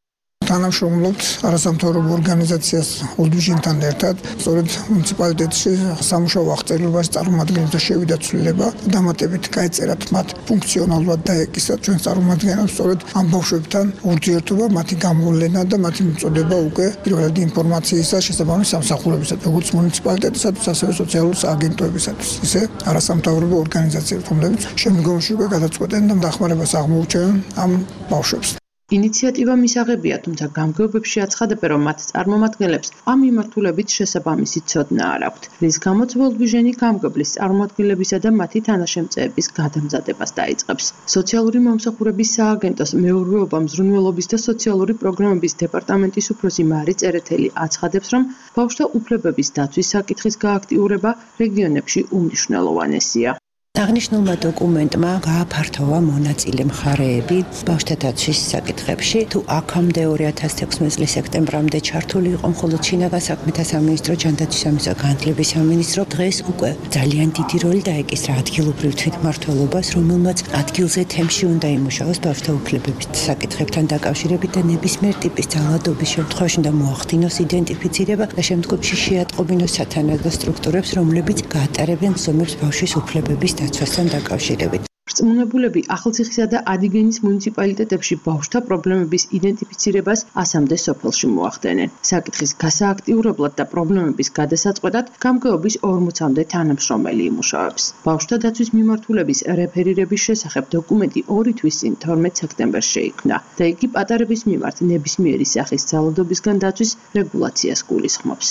თანამშრომლობთ არასამთავრობო ორგანიზაციას ოლდუჟინთან ერთად, სწორედ მუნიციპალიტეტში სამუშაო აღწერილობაში წარმომადგენელთა შევიდა ცვლილება, დამატებით გაეწერათ მათ ფუნქციონალურად დაეკისრათ ჩვენ წარმომადგენლებს სწორედ ამ ბავშვებთან ურთიერთობა, მათი გამოვლენა და მათი მიწოდება უკვე პირველადი ინფორმაციისა შესაბამის სამსახურებისათვის, როგორც მუნიციპალიტეტისათვის, ასევე სოციალური სააგენტოებისათვის, ისე არასამთავრობო ორგანიზაციებს, რომლებიც შემდგომში უკვე გადაწყვეტენ და დახმარებას აღმოუჩენენ ამ ბავშვებს. ინიციატივა მისაღებია, თუმცა გამგეობებში აცხადებენ, რომ მათ წარმომადგენლებს ამ მიმართულებით შესაბამისი ცოდნა არ აქვთ, რის გამოც ვოლდვიჟენი გამგებლის წარმომადგენლებისა და მათი თანაშემწეების გადამზადებას დაიწყებს. სოციალური მომსახურების სააგენტოს მეურვეობა, მზრუნველობის და სოციალური პროგრამების დეპარტამენტის უფროსი მარი წერეთელი აცხადებს, რომ ბავშვთა უფლებების დაცვის საკითხის გააქტიურება რეგიონებში უმნიშვნელოვანესია. აღნიშნულმა დოკუმენტმა გააფართოვა მონაწილე მხარეები ბავშვთა დაცვის საკითხებში. თუ აქამდე ორი ათას თექვსმეტი წლის სექტემბრამდე ჩართული იყო მხოლოდ შინაგან საქმეთა სამინისტრო, ჯანდაცვის სამინისტრო, განათლების სამინისტრო, დღეს უკვე ძალიან დიდი როლი დაეკისრა ადგილობრივ თვითმმართველობას, რომელმაც ადგილზე თემში უნდა იმუშაოს ბავშვთა უფლებების საკითხებთან დაკავშირებით და ნებისმიერ ტიპის ძალადობის შემთხვევაში უნდა მოახდინოს იდენტიფიცირება და შემდგომში შეატყობინოს სათანადო სტრუქტურებს, რომლებიც გაატარებენ ზომებს ბავშვის უფლებების დაცვასთან დაკავშირებით. რწმუნებულები ახალციხისა და ადიგენის მუნიციპალიტეტებში ბავშვთა პრობლემების იდენტიფიცირებას ასამდე სოფელში მოახდენენ. საკითხის გასააქტიურებლად და პრობლემების გადასაწყვეტად გამგეობის ორმოცამდე თანამშრომელი იმუშავებს. ბავშვთა დაცვის მიმართულების რეფერირების შესახებ დოკუმენტი ორი თვის წინ თორმეტ სექტემბერს შეიქმნა და იგი პატარების მიმართ ნებისმიერი სახის ძალადობისგან დაცვის რეგულაციას გულისხმობს.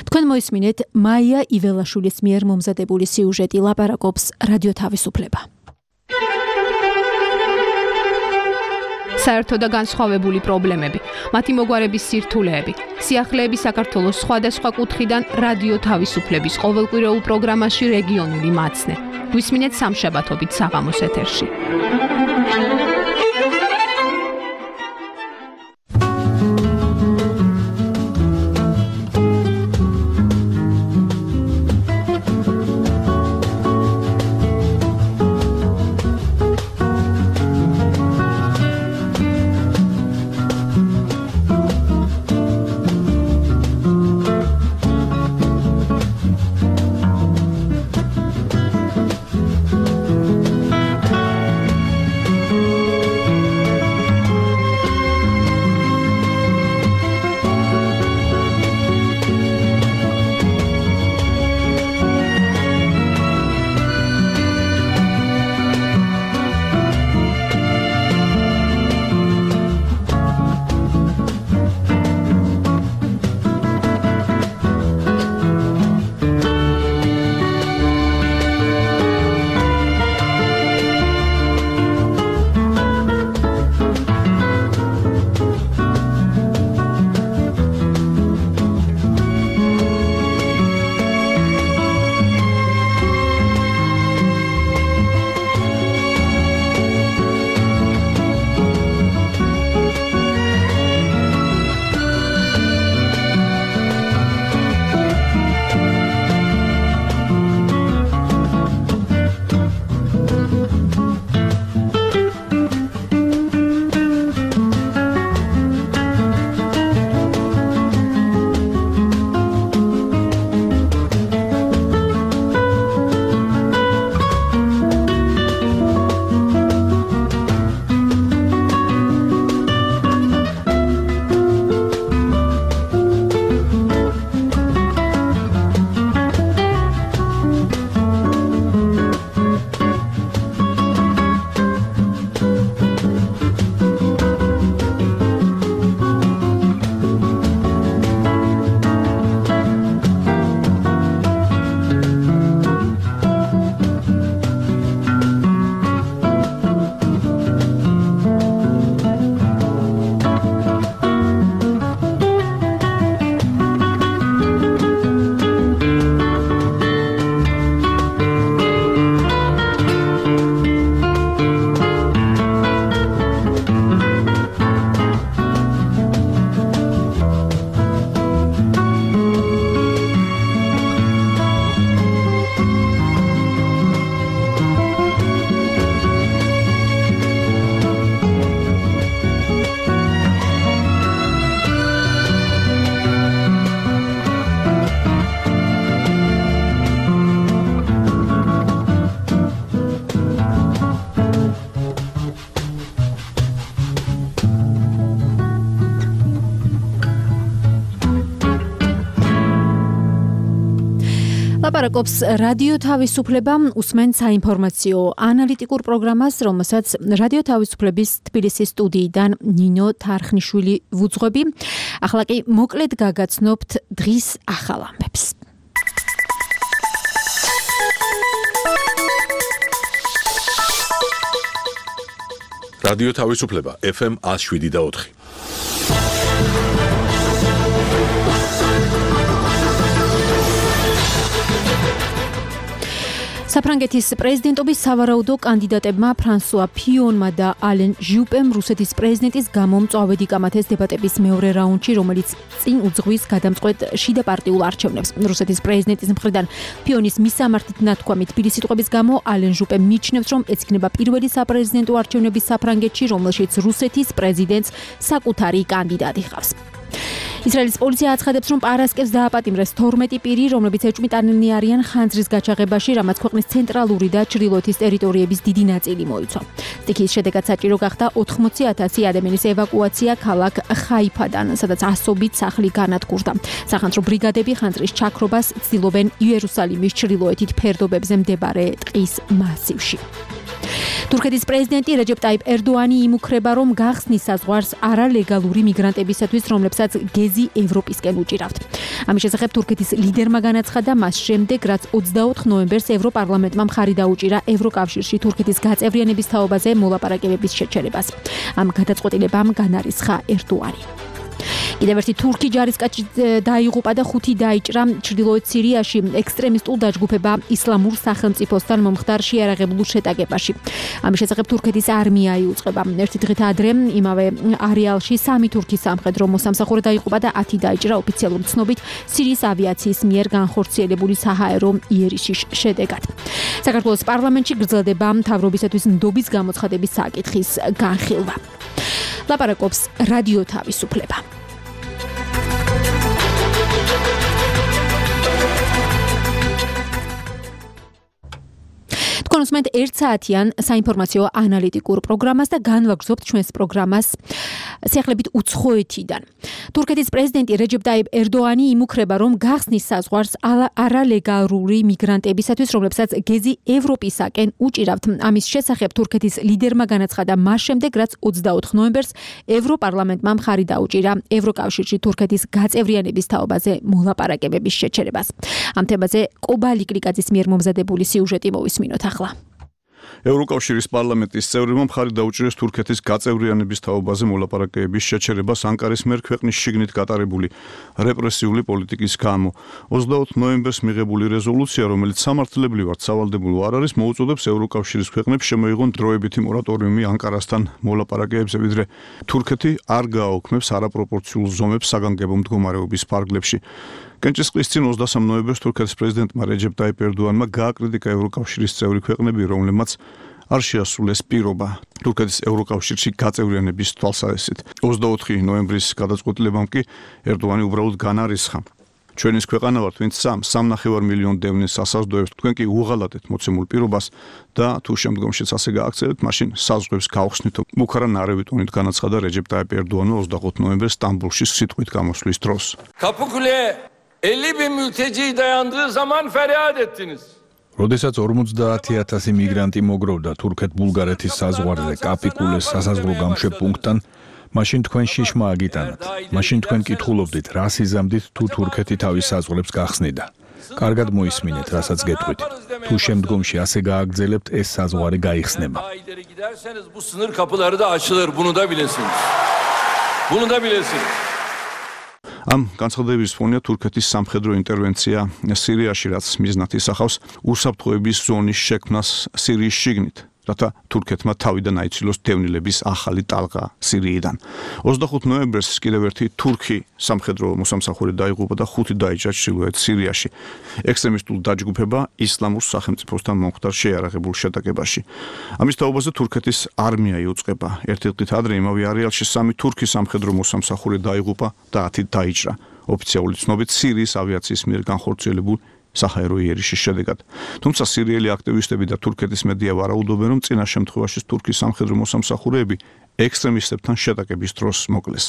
თქვენ მოისმინეთ მაია იველაშვილის მიერ მომზადებული სიუჟეტი, ლაპარაკობს რადიო თავისუფლება. საერთო და განსხვავებული პრობლემები, მათი მოგვარების სირთულეები, სიახლეები საქართველოს სხვადასხვა კუთხიდან რადიო თავისუფლების ყოველკვირეულ პროგრამაში რეგიონული მაცნე. გვისმინეთ სამშაბათობით საღამოს ეთერში. ლაპარაკობს რადიო თავისუფლება, უსმენ საინფორმაციო ანალიტიკურ პროგრამას, რომელსაც რადიო თავისუფლების თბილისის სტუდიიდან ნინო თარხნიშვილი ვუძღვები. ახლა კი მოკლედ გაგაცნობთ დღის ახალ ამბებს. რადიო თავისუფლება ეფ ემ one oh seven და four. საფრანგეთის პრეზიდენტობის სავარაუდო კანდიდატებმა ფრანსუა ფიონმა და ალენ ჟიუპემ რუსეთის პრეზიდენტის გამომწვავედი კამათეს დებატების მეორე რაუნდში, რომელიც წინ უძღვის გადამწყვეტ შიდა პარტიულ არჩევნებს. რუსეთის პრეზიდენტის მხრიდან ფიონის მისამართით ნათქვამი თბილისის სიტყვების გამო ალენ ჟიუპემ მიიჩნევს, რომ ეს იქნება პირველი საპრეზიდენტო არჩევნები საფრანგეთში, რომელშიც რუსეთის პრეზიდენტს საკუთარი კანდიდატი ჰყავს. ისრაელის პოლიცია აცხადებს, რომ პარასკევს დააპატიმრეს თორმეტი პირი, რომლებიც ეჭვმიტანილნი არიან ხანძრის გაჩაღებაში, რამაც ქვეყნის ცენტრალური და ჩრდილოეთის ტერიტორიების დიდი ნაწილი მოიცვა. სტიქიის შედეგად საჭირო გახდა ოთხმოცი ათასი ადამიანის ევაკუაცია ქალაქ ხაიფადან, სადაც ასობით სახლი განადგურდა. სახანძრო ბრიგადები ხანძრის ჩაქრობას ცდილობენ იერუსალიმის ჩრდილოეთით ფერდობებზე მდებარე ტყის მასივში. თურქეთის პრეზიდენტი რეჯეპ ტაიპ ერდოანი იმუქრება, რომ გახსნის საზღვარს არალეგალური მიგრანტებისათვის, რომლებსაც გეზი ევროპისკენ უჭირავთ. ამის შესახებ თურქეთის ლიდერმა განაცხადა მას შემდეგ, რაც ოცდაოთხ ნოემბერს ევროპარლამენტმა მხარი დაუჭირა ევროკავშირში თურქეთის გაწევრიანების თაობაზე მოლაპარაკებების შეჩერებას. ამ გადაწყვეტილებამ განარისხა ერდოანი. კიდევ ერთი თურქი ჯარისკაცი დაიღუპა და ხუთი დაიჭრა ჩრდილოეთ სირიაში ექსტრემისტულ დაჯგუფება ისლამურ სახელმწიფოსთან მომხდარ შეიარაღებულ შეტაკებაში. ამის შესახებ თურქეთის არმია იუწყება. ერთი დღით ადრე იმავე არეალში სამი თურქის სამხედრო მოსამსახურე დაიღუპა და ათი დაიჭრა ოფიციალური ცნობით სირიის ავიაციის მიერ განხორციელებული საჰაერო იერიშის შედეგად. საქართველოს პარლამენტში გრძელდება მთავრობისათვის ნდობის გამოცხადების საკითხის განხილვა. ლაპარაკობს რადიო თავისუფლება. თქვენ უსმენთ ერთ საათიან საინფორმაციო ანალიტიკურ პროგრამას და განვაგრძობთ ჩვენს პროგრამას სიახლებით უცხოეთიდან. თურქეთის პრეზიდენტი რეჯეპ ტაიპ ერდოანი იმუქრება, რომ გახსნის საზღვარს არალეგალური მიგრანტებისათვის, რომლებსაც გეზი ევროპისაკენ უჭირავთ. ამის შესახებ თურქეთის ლიდერმა განაცხადა მას შემდეგ, რაც ოცდაოთხ ნოემბერს ევროპარლამენტმა მხარი დაუჭირა ევროკავშირში თურქეთის გაწევრიანების თაობაზე მოლაპარაკებების შეჩერებას. ამ თემაზე კობალი კრიკაძის მიერ მომზადებული სიუჟეტი მოვისმინოთ ახლა. ევროკავშირის პარლამენტის წევრებმა მხარი დაუჭირეს თურქეთის გაწევრიანების თაობაზე მოლაპარაკებების შეჩერებას ანკარის მიერ ქვეყნის შიგნით გატარებული რეპრესიული პოლიტიკის გამო. ოცდაოთხ ნოემბერს მიღებული რეზოლუცია, რომელიც სამართლებრივად სავალდებულო არ არის, მოუწოდებს ევროკავშირის ქვეყნებს შემოიღონ დროებითი მორატორიუმი ანკარასთან მოლაპარაკებებზე, ვიდრე თურქეთი არ გააოქმებს არაპროპორციულ ზომებს საგანგებო მდგომარეობის ფარგლებში. კენჭისყრის წინ ოცდასამ ნოემბერს თურქეთის პრეზიდენტმა რეჯეპ ტაიპ ერდოანმა გააკრიტიკა ევროკავშირის წევრი ქვეყნები, რომლებმაც არ შეასრულეს პირობა თურქეთის ევროკავშირში გაწევრიანების თვალსაზრისით. ოცდაოთხი ნოემბრის გადაწყვეტილებამ კი ერდოანი უბრალოდ განარისხა. ჩვენის ქვეყანა ვართ, ვინც სამ სამნახევარ მილიონ დევნის ასაზრდოებს, თქვენ კი უღალატეთ მოცემულ პირობას და თუ შემდგომშიც ასე გააქცევთ, მაშინ საზღვრებს გავხსნით. მუქარა ნარევი ტონით განაცხადა რეჯეპ ტაიპ ერდოანმა ოცდაოთხ ნოემბერს სტამბულში სიტყვით გამოსვლის დროს. Kapıkule elli bin mülteci dayandığı zaman feryat ettiniz. როდესაც ორმოცდაათი ათასი მიგრანტი მოგროვდა თურქეთ-ბულგარეთის საზღვარზე კაპიკულეს სასაზღვრო გამშვებ პუნქტთან, მაშინ თქვენ შიშმა აგიტანათ. მაშინ თქვენ კითხულობდით, რას იზამდით თუ თურქეთი თავის საზღვრებს გახსნიდა. კარგად მოისმინეთ, რასაც გეტყვით. თუ შემდგომში ასე გააგრძელებთ, ეს საზღვარი გაიხსნება. Bu sınır kapıları da açılır, bunu da bilesiniz. Bunu da bilesiniz. ამ განცხადების ფონია თურქეთის სამხედრო ინტერვენცია სირიაში, რაც მიზნად ისახავს უსაფრთხოების ზონის შექმნას სირიის შიგნით, რათა თურქეთმა თავიდან აიცილოს დევნილების ახალი ტალღა სირიიდან. ოცდახუთ ნოემბერს კიდევ ერთი თურქი სამხედრო მოსამსახურე დაიღუპა და ხუთი დაიჭრა ჩრდილოეთ სირიაში. ექსტრემისტულ დაჯგუფება ისლამურ სახელმწიფოსთან მომხდარ შეიარაღებულ შეტაკებაში. ამის თაობაზე თურქეთის არმია იუწყება. ერთი დღით ადრე იმავე არეალში სამი თურქი სამხედრო მოსამსახურე დაიღუპა და ათი დაიჭრა. ოფიციალური ცნობით სირიის ავიაციის მიერ განხორციელებულ საჰაერო იერიშის შედეგად. თუმცა სირიელი აქტივისტები და თურქეთის მედია ვარაუდობენ, რომ წინა შემთხვევაში თურქის სამხედრო მოსამსახურეები ექსტრემისტებთან შეტაკების დროს მოკლეს.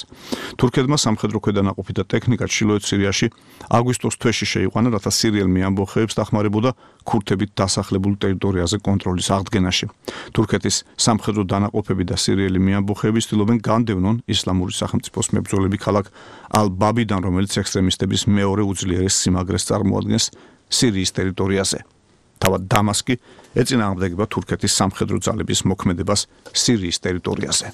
თურქეთმა სამხედრო ქვედანაყოფი და ტექნიკა ჩრდილოეთ სირიაში აგვისტოს თვეში შეიყვანა, რათა სირიელმი ამბოხეებს დახმარებოდა ქურთებით დასახლებულ ტერიტორიაზე კონტროლის აღდგენაში. თურქეთის სამხედრო დანაყოფები და სირიელი მიამბოხეები ცდილობენ განდევნონ ისლამური სახელმწიფოს მებრძოლები ქალაქ ალ-ბაბიდან, რომელიც ექსტრემისტების მეორე უძლიერეს სიმაგრეს წარმოადგენს სირიის ტერიტორიაზე. თავად დამასკი ეწინააღმდეგება თურქეთის სამხედრო ძალების მოქმედებას სირიის ტერიტორიაზე.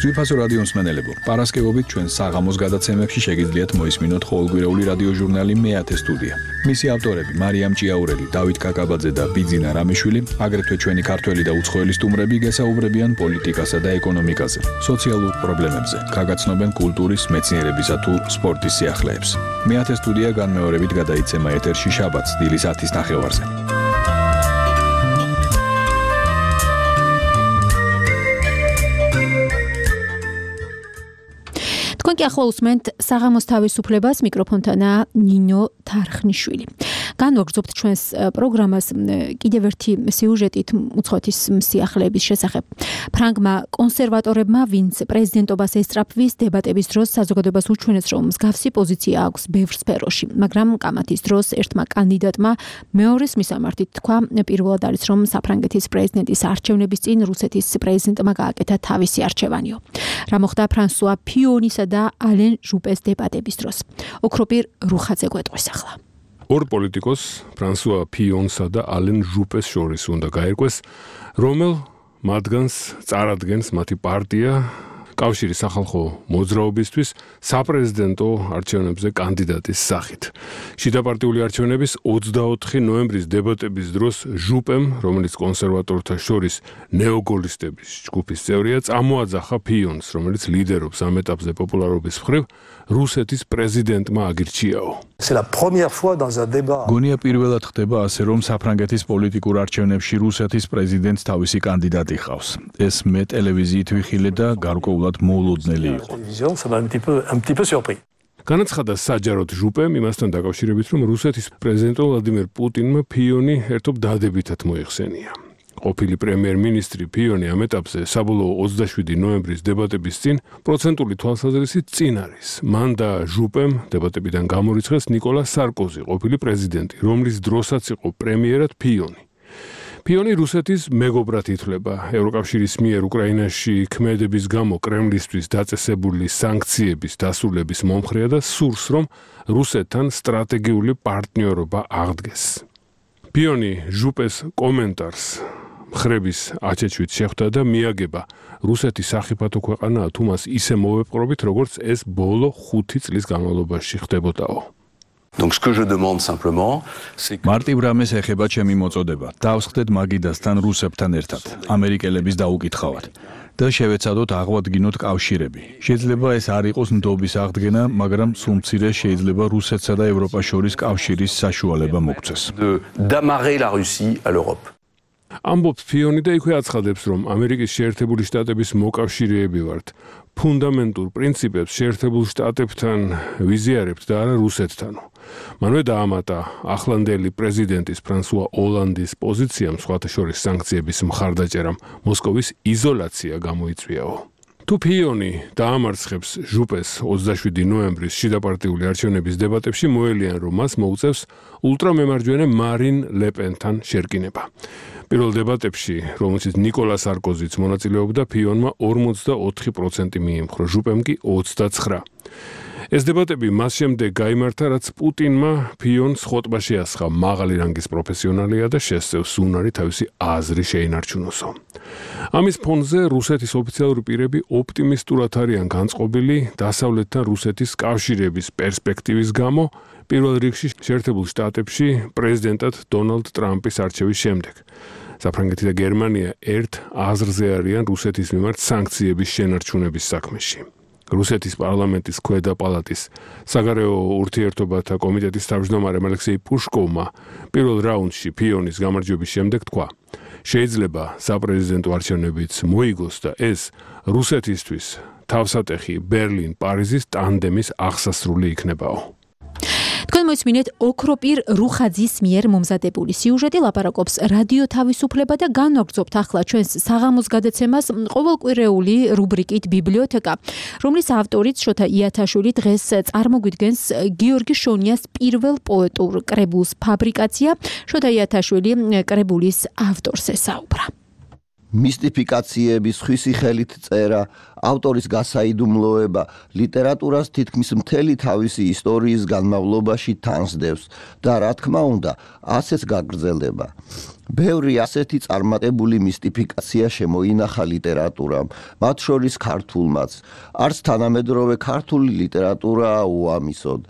ძვირფასო რადიო მსმენელებო, პარასკევობით ჩვენ საღამოს გადაცემებში შეგიძლიათ მოისმინოთ ყოველკვირეული რადიო ჟურნალი მეათე სტუდია. მისი ავტორები მარიამ ჭიაურელი, დავით კაკაბაძე და ბიძინა რამიშვილი, აგრეთვე ჩვენი ქართველი და უცხოელი სტუმრები გესაუბრებიან პოლიტიკასა და ეკონომიკაზე, სოციალურ პრობლემებზე, გაგაცნობენ კულტურის, მეცნიერებისა თუ სპორტის სიახლეებს. მეათე სტუდია განმეორებით გადაიცემა ეთერში შაბათს დილის ათის ნახევარზე. თქვენ კი ახლა უსმენთ საღამოს თავისუფლებას, მიკროფონთანაა ნინო თარხნიშვილი. განვაგრძობთ ჩვენს პროგრამას კიდევ ერთი სიუჟეტით უცხოეთის სიახლეების შესახებ. ფრანგმა კონსერვატორებმა, ვინც პრეზიდენტობას ესწრაფვის, დებატების დროს საზოგადოებას უჩვენეს, რომ მსგავსი პოზიცია აქვს ბევრ სფეროში, მაგრამ კამათის დროს ერთმა კანდიდატმა მეორეს მისამართით თქვა, პირველად არის, რომ საფრანგეთის პრეზიდენტის არჩევნების წინ რუსეთის პრეზიდენტმა გააკეთა თავისი არჩევანიო. რა მოხდა ფრანსუა ფიონისა და ალენ ჟუპეს დებატების დროს. ოქროპირ რუხაძე გვეტყვის ახლა. ორ პოლიტიკოს, ფრანსუა ფიონსა და ალენ ჟუპეს შორის უნდა გაერკვეს, რომელ მათგანს წარადგენს მათი პარტია კავშირი სახალხო მოძრაობისთვის საპრეზიდენტო არჩევნებზე კანდიდატის სახით. შიდაპარტიული არჩევნების ოცდაოთხი ნოემბრის დებატების დროს ჟუპემ, რომელიც კონსერვატორთა შორის ნეოგოლისტების ჯგუფის წევრია, წამოაძახა ფიონს, რომელიც ლიდერობს ამ ეტაპზე პოპულარობის მხრივ, რუსეთის პრეზიდენტმა აგირჩიაო. გონია პირველად ხდება ასე, რომ საფრანგეთის პოლიტიკურ არჩევნებში რუსეთის პრეზიდენტს თავისი კანდიდატი ჰყავს. ეს მე ტელევიზიით ვიხილე და გარკვეულად მოულოდნელი იყო. განაცხადა საჯაროდ ჟუპემ იმასთან დაკავშირებით, რომ რუსეთის პრეზიდენტო ვლადიმერ პუტინმა ფიონი ერთობ დადებითად მოიხსენია. ყოფილი პრემიერ-მინისტრი ფიონი ამ ეტაპზე საბოლოო ოცდაშვიდი ნოემბრის დებატების წინ პროცენტული თვალსაზრისით წინ არის. მან და ჟუპემ დებატებიდან გამორიცხეს ნიკოლა სარკოზი, ყოფილი პრეზიდენტი, რომლის დროსაც იყო პრემიერად ფიონი. ფიონი რუსეთის მეგობრად ითვლება. ევროკავშირის მიერ უკრაინაში ქმედების გამო კრემლისთვის დაწესებული სანქციების დასრულების მომხრეა და სურს, რომ რუსეთთან სტრატეგიული პარტნიორობა აღდგეს. ფიონი ჟუპეს კომენტარს ხრების აჩეჩვით შეხვდა და მიაგება რუსეთის სახიფათო ქვეყანაა თუ მას ისე მოვეპყრობით, როგორც ეს ბოლო ხუთი წლის განმავლობაში ხდებოდაო. მარტივ რამეს ეხება ჩემი მოწოდება. დავსხდეთ მაგიდასთან რუსებთან ერთად, ამერიკელების დაუკითხავად და შევეცადოთ აღვადგინოთ კავშირები. შეიძლება ეს არ იყოს ნდობის აღდგენა, მაგრამ სულ მცირე შეიძლება რუსეთსა და ევროპას შორის კავშირის საშუალება მოგვცეს. ამბობს ფიონი და იქვე აცხადებს, რომ ამერიკის შეერთებული შტატების მოკავშირეები ვართ. ფუნდამენტურ პრინციპებს შეერთებულ შტატებთან ვიზიარებთ და არა რუსეთთანო. მანვე დაამატა ახლანდელი პრეზიდენტის ფრანსუა ოლანდის პოზიციამ, სხვათა შორის სანქციების მხარდაჭერამ, მოსკოვის იზოლაცია გამოიწვიაო. თუ ფიონი დაამარცხებს ჟუპეს ოცდაშვიდი ნოემბრის შიდაპარტიული არჩევნების დებატებში, მოელიან, რომ მას მოუწევს ულტრამემარჯვენე მარინ ლეპენთან შერკინება. პირველ დებატებში, რომელშიც ნიკოლა სარკოზიც მონაწილეობდა, ფიონმა ორმოცდაოთხი პროცენტი მიემხრო, ჟუპემ კი ოცდაცხრა. ეს დებატები მას შემდეგ გაიმართა, რაც პუტინმა ფიონს ხოტბა შეასხა, მაღალი რანგის პროფესიონალია და შესწევს უნარი თავისი აზრი შეინარჩუნოსო. ამის ფონზე რუსეთის ოფიციალური პირები ოპტიმისტურად არიან განწყობილი დასავლეთთან რუსეთის კავშირების პერსპექტივის გამო, პირველ რიგში შეერთებულ შტატებში პრეზიდენტად დონალდ ტრამპის არჩევის შემდეგ. საფრანგეთი და გერმანია ერთ აზრზე არიან რუსეთის მიმართ სანქციების შენარჩუნების საქმეში. რუსეთის პარლამენტის ქვედა პალატის საგარეო ურთიერთობათა კომიტეტის თავმჯდომარემ ალექსეი პუშკოვმა პირველ რაუნდში ფიონის გამარჯვების შემდეგ თქვა: შეიძლება საპრეზიდენტო არჩევნებიც მოიგოს და ეს რუსეთისთვის თავსატეხი ბერლინ-პარიზის ტანდემის აღსასრული იქნებაო. თქვენ მოისმინეთ ოქროპირ რუხაძის მიერ მომზადებული სიუჟეტი, ლაპარაკობს რადიო თავისუფლება და განვაგრძობთ ახლა ჩვენს საღამოს გადაცემას ყოველკვირეული რუბრიკით ბიბლიოთეკა, რომლის ავტორიც შოთა იათაშვილი დღეს წარმოგვიდგენს გიორგი შონიას პირველ პოეტურ კრებულს ფაბრიკაცია. შოთა იათაშვილი კრებულის ავტორს ესაუბრა. მისტიფიკაციების ხვისი ხელით წერა, ავტორის გასაიდუმლოება ლიტერატურას თითქმის მთელი თავისი ისტორიის განმავლობაში თანსდევს და რა თქმა უნდა, ასეც გაგრძელდება. ბევრი ასეთი წარმატებული მისტიფიკაცია შემოინახა ლიტერატურამ, მათ შორის ქართულმაც. არც თანამედროვე ქართული ლიტერატურაა უამისოდ.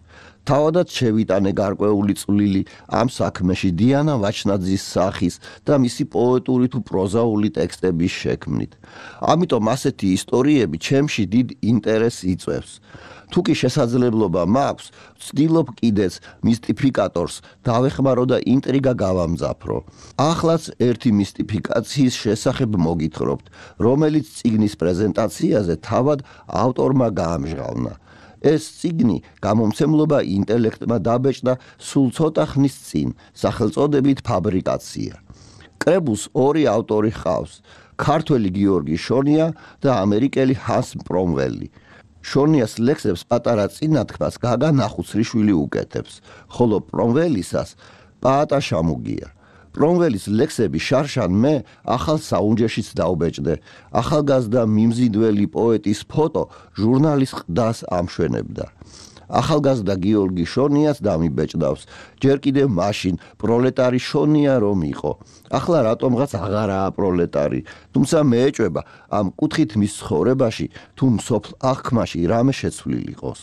თავადაც შევიტანე გარკვეული წვლილი ამ საქმეში დიანა ვაჩნაძის სახის და მისი პოეტური თუ პროზაული ტექსტების შექმნით. ამიტომ ასეთი ისტორიები ჩემში დიდ ინტერესს იწვევს. თუ კი შესაძლებლობა მაქვს, ვცდილობ კიდეც მისტიფიკატორს დავეხმარო და ინტრიგა გავამძაფრო. ახლაც ერთი მისტიფიკაციის შესახებ მოგითხრობთ, რომელიც წიგნის პრეზენტაციაზე თავად ავტორმა გაამჟღავნა. ეს წიგნი გამომცემლობა ინტელექტმა დაბეჭდა სულ ცოტა ხნის წინ, სახელწოდებით ფაბრიკაცია. კრებულს ორი ავტორი ჰყავს, ქართველი გიორგი შონია და ამერიკელი ჰანს პრომველი. შონიას ლექსებს პატარა წინათქმას გაგა ნახუცრიშვილი უკეთებს, ხოლო პრომველისას პაატა შამუგია. პრომველის ლექსები შარშან მე ახალ საუნჯეშიც დავბეჭდე. ახალგაზრდა მიმზიდველი პოეტის ფოტო ჟურნალის ყდას ამშვენებდა. ახალგაზრდა გიორგი შონიას დამიბეჭდავს, ჯერ კიდევ მაშინ პროლეტარი შონია რომ იყო. ახლა რატომღაც აღარაა პროლეტარი, თუმცა მეეჭვება ამ კუთხით მის ცხოვრებაში თუ მსოფლ აღქმაში რამე შეცვლილ იყოს.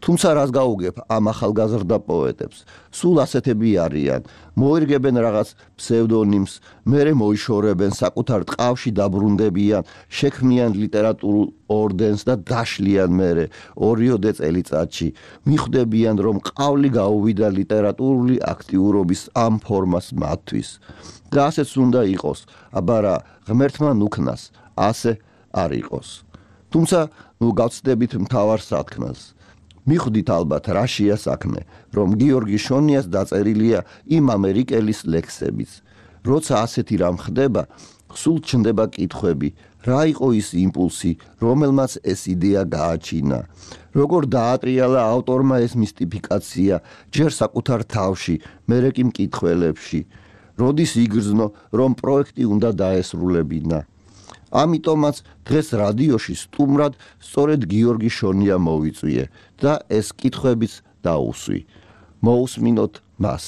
თუმცა რას გაუგებ ამ ახალგაზრდა პოეტებს, სულ ასეთები არიან, მოირგებენ რაღაც ფსევდონიმს, მერე მოიშორებენ საკუთარ ტყავში დაბრუნდებიან, შექმნიან ლიტერატურულ ორდენს და დაშლიან მერე ორიოდე წელიწადში, მიხვდებიან რომ ყავლი გაუვიდა ლიტერატურული აქტიურობის ამ ფორმას მათთვის. და ასეც უნდა იყოს, აბა რა ღმერთმა ნუქნას, ასე არ იყოს. თუმცა ნუ გავცდებით მთავარ სათქმელს. მიხვდით ალბათ რაშია საქმე, რომ გიორგი შონიას დაწერილია იმ ამერიკელის ლექსებიც. როცა ასეთი რამ ხდება, სულ ჩნდება კითხვები, რა იყო ის იმპულსი, რომელმაც ეს იდეა გააჩინა. როგორ დაატრიალა ავტორმა ეს მისტიფიკაცია, ჯერ საკუთარ თავში, მერე კი მკითხველებში. როდის იგრძნო, რომ პროექტი უნდა დაესრულებინა. ამიტომაც დღეს რადიოში სტუმრად სწორედ გიორგი შონია მოვიწვიე და ეს კითხვებიც დაუსვი. მოусმინოთ მას.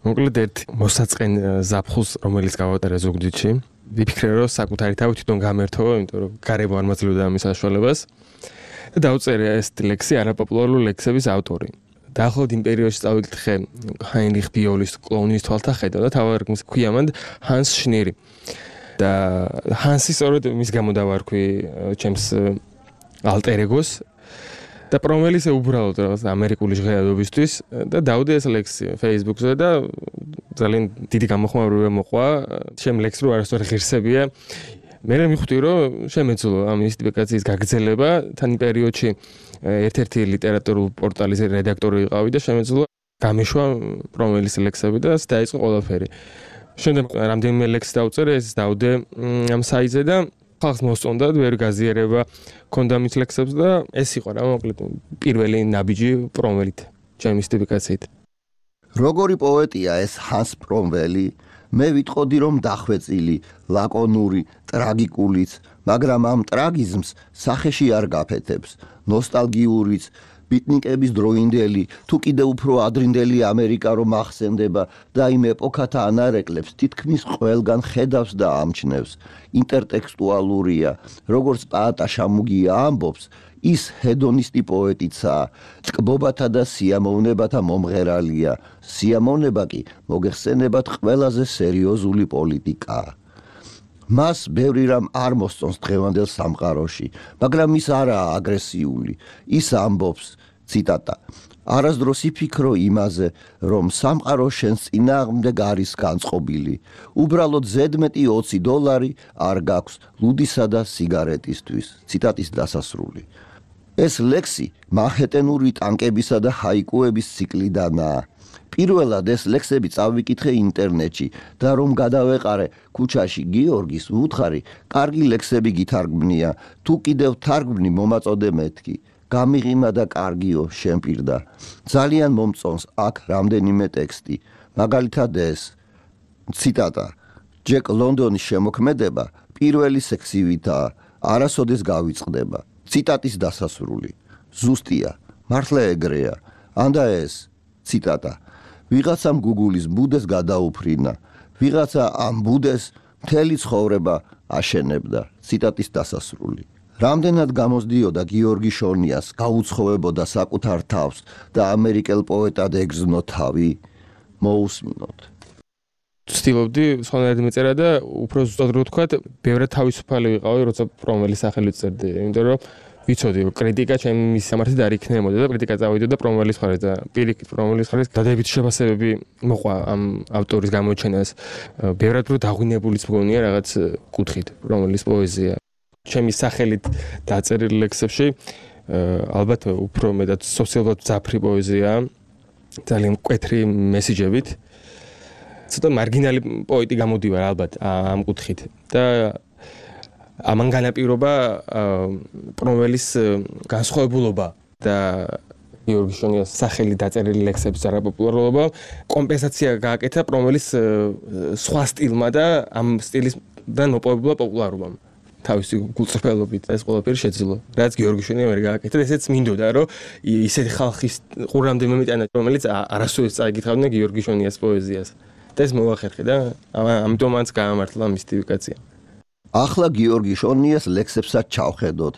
მოკლედ ერთ მოსაწყენ ზაფხულს, რომელიც გავატარე ზუგდიდში, ვიფიქრე რომ საკუთარი თავი თვითონ გამერთო, იმიტომ რომ გარემო არ მაძლევდა ამის საშუალებას. და დავწერე ეს ლექსი არაპოპულარული ლექსების ავტორი. დაახლოებით იმ პერიოდში წავიკითხე ჰაინრიხ ბიოლის კლოუნის თვალთახედა და თავად ქვია მან ჰანს შნირი. და ჰანსი სწორედ მის გამო დავარქვი ჩემს ალტერეგოს და პრომველის უბრალოდ რაღაც ამერიკული ჟღერადობისთვის და დავდე ეს ლექსი Facebook-ზე და ძალიან დიდი გამოხმაურება მოყვა ჩემ ლექსს რო არასწორი ღირსებია. მე მივხვდი რომ შემეძლო ამ მისტიფიკაციის გაგრძელება თან იმ პერიოდში ერთ-ერთი ლიტერატურული პორტალის რედაქტორი ვიყავი და შემეძლო გამეშვა პრომველის ლექსები და დაიწყო ყველაფერი. შემდეგ რამდენიმე ლექსი დავწერე, ეს დავდე ამ საიტზე და ხალხს მოსწონდა, ვერ გაზიარება ქონდა მის ლექსებს და ეს იყო რა მოკლედ პირველი ნაბიჯი პრომველით, ჩემი მისტიფიკაციით. როგორი პოეტია ეს ჰანს პრომველი? მე ვიტყოდი რომ დახვეწილი, ლაკონური, ტრაგიკულიც, მაგრამ ამ ტრაგიზმს სახეში არ გაფეთებს, ნოსტალგიურიც, ბიტნიკების დროინდელი, თუ კიდე უფრო ადრინდელი ამერიკა რომ ახსენდება და იმ ეპოქათა ანარეკლებს თითქმის ყველგან ხედავს და ამჩნევს. ინტერტექსტუალურია, როგორც პაატა შამუგია ამბობს, ის ჰედონისტი პოეტიცაა, ჭკბობათა და სიამოვნებათა მომღერალია. სიამოვნება კი მოგეხსენებათ ყველაზე სერიოზული პოლიტიკაა. მას ბევრი რამ არ მოსწონს დღევანდელ სამყაროში, მაგრამ ის არაა აგრესიული. ის ამბობს, ციტატა, არასდროს იფიქრო იმაზე, რომ სამყარო შენს წინააღმდეგ არის განწყობილი. უბრალოდ ზედმეტი ოცი დოლარი არ გაქვს ლუდისა და სიგარეტისთვის. ციტატის დასასრული. ეს ლექსი მანჰეტენური ტანკებისა და ჰაიკუების ციკლიდანაა. პირველად ეს ლექსები წავიკითხე ინტერნეტში და რომ გადავეყარე ქუჩაში გიორგის ვუთხარი, კარგი ლექსები გითარგმნია, თუ კიდევ თარგმნი მომაწოდე მეთქი. გამიღიმა და კარგიო შემპირდა. ძალიან მომწონს აქ რამდენიმე ტექსტი. მაგალითად ეს ციტატა. ჯეკ ლონდონის შემოქმედება პირველი სექსივითაა, არასოდეს გავიწყდება. ციტატის დასასრული. ზუსტია, მართლა ეგრეა. ანდა ეს ციტატა. ვიღაცამ გუგულის ბუდეს გადაუფრინა. ვიღაცა ამ ბუდეს მთელი ცხოვრება აშენებდა. ციტატის დასასრული. რამდენად გამოსდიოდა გიორგი შონიას გაუცხოვებოდა საკუთარ თავს და ამერიკელ პოეტად ეგზნო თავი. მოусმინოთ. ცდილობდი სხვანაირად მეწერა და უფრო ზუსტად რო ვთქვათ, ბევრად თავისუფალი ვიყავი, როცა პრომველის სახელით წერდი, იმიტომ რომ ვიცოდი, კრიტიკა ჩემი სამართლით არ იქნებოდა და კრიტიკა წავიდოდა პრომველის მხარეს და პირიქით პრომველის მხარეს დადებითი შეფასებები მოყვა ამ ავტორის გამოჩენას. ბევრად რო დაღვინებულიც მგონია რაღაც კუთხით პრომველის პოეზია. ჩემი სახელით დაწერილი ლექსებში ალბათ უფრო მეტად სოციალურად ძაფრი პოეზია, ძალიან მკვეთრი მესიჯებით. ცოტა მარგინალი პოეტი გამოდივარ ალბათ ამ კუთხით და ამან განაპირობა პრომველის განსხვავებულობა და გიორგი შონიას სახელით დაწერილი ლექსების არაპოპულარობა კომპენსაცია გააკეთა პრომველის სხვა სტილმა და ამ სტილისგან მოპოვებულა პოპულარობამ. თავისი გულწრფელობით ეს ყველაფერი შეძლო. რაც გიორგი შონიამ ვერ გააკეთა, ესეც მინდოდა, რომ ისეთი ხალხის ყურამდე მომიტანა, რომელიც არასოდეს წაიკითხავდნენ გიორგი შონიას პოეზიას. და ეს მოახერხე და ამიტომ მანც გაამართლა მისტიფიკაცია. ახლა გიორგი შონიას ლექსებსაც ჩავხედოთ.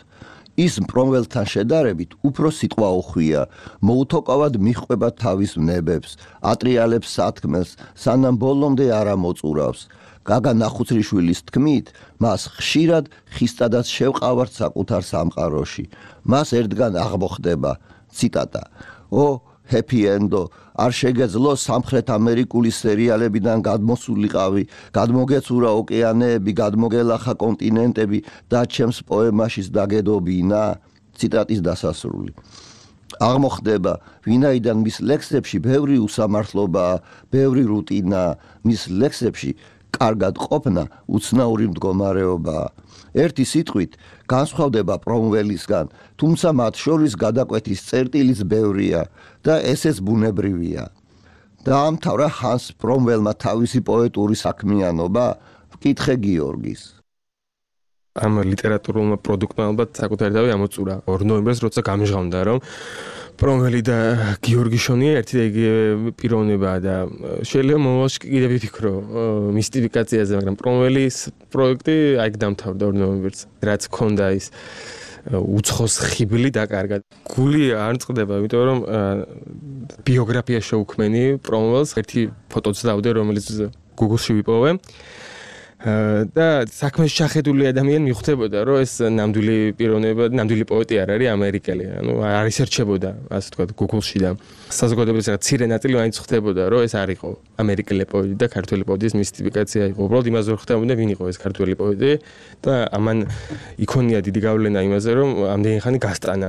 ის პრომველთან შედარებით უფრო სიტყვა უხვია, მოუთოკავად მიჰყვება თავის ნებებს, ატრიალებს სათქმელს, სანამ ბოლომდე არ ამოწურავს. გაგა ნახუცრიშვილის თქმით, მას ხშირად ხისტადაც შევყავართ საკუთარ სამყაროში. მას ერთგან აღმოხდება, ციტატა. ო ჰეპი ენდო, არ შეგეძლო სამხრეთ ამერიკული სერიალებიდან გადმოსულიყავი, გადმოგეცურა ოკეანეები, გადმოგელახა კონტინენტები და ჩემს პოემაშიც დაგედობინა. ციტატის დასასრული. აღმოხდება, ვინაიდან მის ლექსებში ბევრი უსამართლობაა, ბევრი რუტინაა, მის ლექსებში კარგად ყოფნა უცნაური მდგომარეობაა. ერთი სიტყვით განსხვავდება პრომველისგან, თუმცა მათ შორის გადაკვეთის წერტილიც ბევრია და ესეც ბუნებრივია. დაამთავრა ჰანს პრომველმა თავისი პოეტური საქმიანობა, ვკითხე გიორგის. ამ ლიტერატურულმა პროდუქტმა ალბათ საკუთარი თავი ამოწურა. ორ ნოემბერს როცა გამჟღავნდა, რომ პრომველი და გიორგი შონია ერთი და იგივე პიროვნებაა და შეიძლება მომავალში კიდევ ვიფიქრო მისტიფიკაციაზე, მაგრამ პრომველის პროექტი აიქ დამთავრდა ორ ნოემბერს. რაც ქონდა ის უცხოს ხიბლი დაკარგა. გული არ წყდება, იმიტომ რომ ბიოგრაფია შეუქმენი პრომველს, ერთი ფოტოც დავდე, რომელიც Google-ში ვიპოვე. და საქმეში შეხედული ადამიანი მიხვდებოდა, რომ ეს ნამდვილი პიროვნება, ნამდვილი პოეტი არ არის ამერიკელი. ანუ არ ისერჩებოდა, ასე ვთქვათ, Google-ში და საზოგადოების რაღაც ცირე ნაწილი მაინც ხვდებოდა, რომ ეს არ იყო ამერიკელი პოეტი და ქართველი პოეტის მისტიფიკაცია იყო. უბრალოდ იმაზე ვერ ხვდებოდა, ვინ იყო ეს ქართველი პოეტი და ამან იქონია დიდი გავლენა იმაზე, რომ ამდენი ხანი გასტანა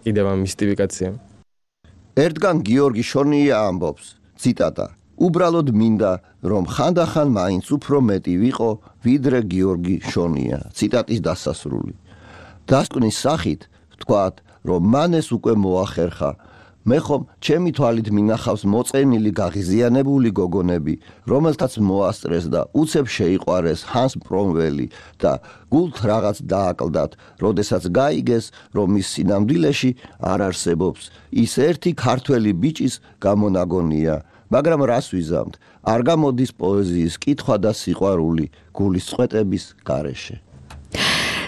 კიდევ ამ მისტიფიკაციამ. ერთგან გიორგი შონია ამბობს, ციტატა: უბრალოდ მინდა, რომ ხანდახან მაინც უფრო მეტი ვიყო, ვიდრე გიორგი შონია. ციტატის დასასრული. დასკვნის სახით ვთქვათ, რომ მან ეს უკვე მოახერხა. მე ხომ ჩემი თვალით მინახავს მოწენილი გაღიზიანებული გოგონები, რომელთაც მოასწრეს და უცებ შეიყვარეს ჰანს პრომველი და გულთ რაღაც დააკლდათ, როდესაც გაიგეს, რომ ის სინამდვილეში არ არსებობს. ის ერთი ქართველი ბიჭის გამონაგონია. მაგრამ რას ვიზამთ, არ გამოდის პოეზიის კითხვა და სიყვარული გულის წვეტების გარეშე.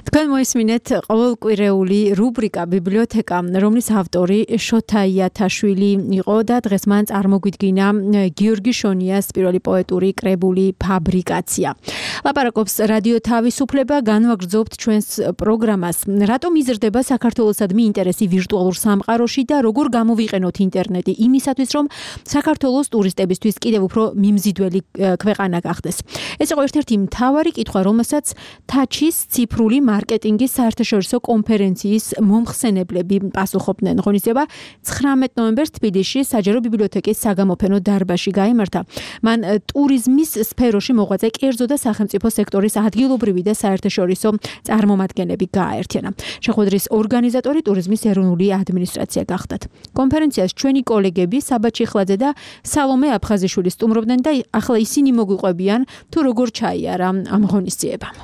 თქვენ მოისმინეთ ყოველკვირეული რუბრიკა ბიბლიოთეკა, რომლის ავტორი შოთა იათაშვილი იყო და დღეს მან წარმოგვიდგინა გიორგი შონიას პირველი პოეტური კრებული ფაბრიკაცია. ლაპარაკობს რადიო თავისუფლება, განვაგრძობთ ჩვენს პროგრამას. რატომ იზრდება საქართველოსადმი ინტერესი ვირტუალურ სამყაროში და როგორ გამოვიყენოთ ინტერნეტი იმისათვის, რომ საქართველოს ტურისტებისთვის კიდევ უფრო მიმზიდველი ქვეყანა გახდეს. ეს იყო ერთ-ერთი მთავარი კითხვა, რომელსაც თაჩის ციფრული მარკეტინგის საერთაშორისო კონფერენციის მომხსენებლები პასუხობდნენ. ღონისძიება ცხრამეტ ნოემბერს თბილისში საჯარო ბიბლიოთეკის საგამოფენო დარბაზში გაიმართა. მან ტურიზმის სფეროში მოღვაწე კერძო და სახელმწიფო სექტორის ადგილობრივი და საერთაშორისო წარმომადგენლები გააერთიანა. შეხვედრის ორგანიზატორი ტურიზმის ეროვნული ადმინისტრაცია გახდათ. კონფერენციას ჩვენი კოლეგები საბა ჩიხლაძე და სალომე აფხაზიშვილი სტუმრობდნენ და ახლა ისინი მოგვიყვებიან თუ როგორ ჩაიარა ამ ღონისძიებამ.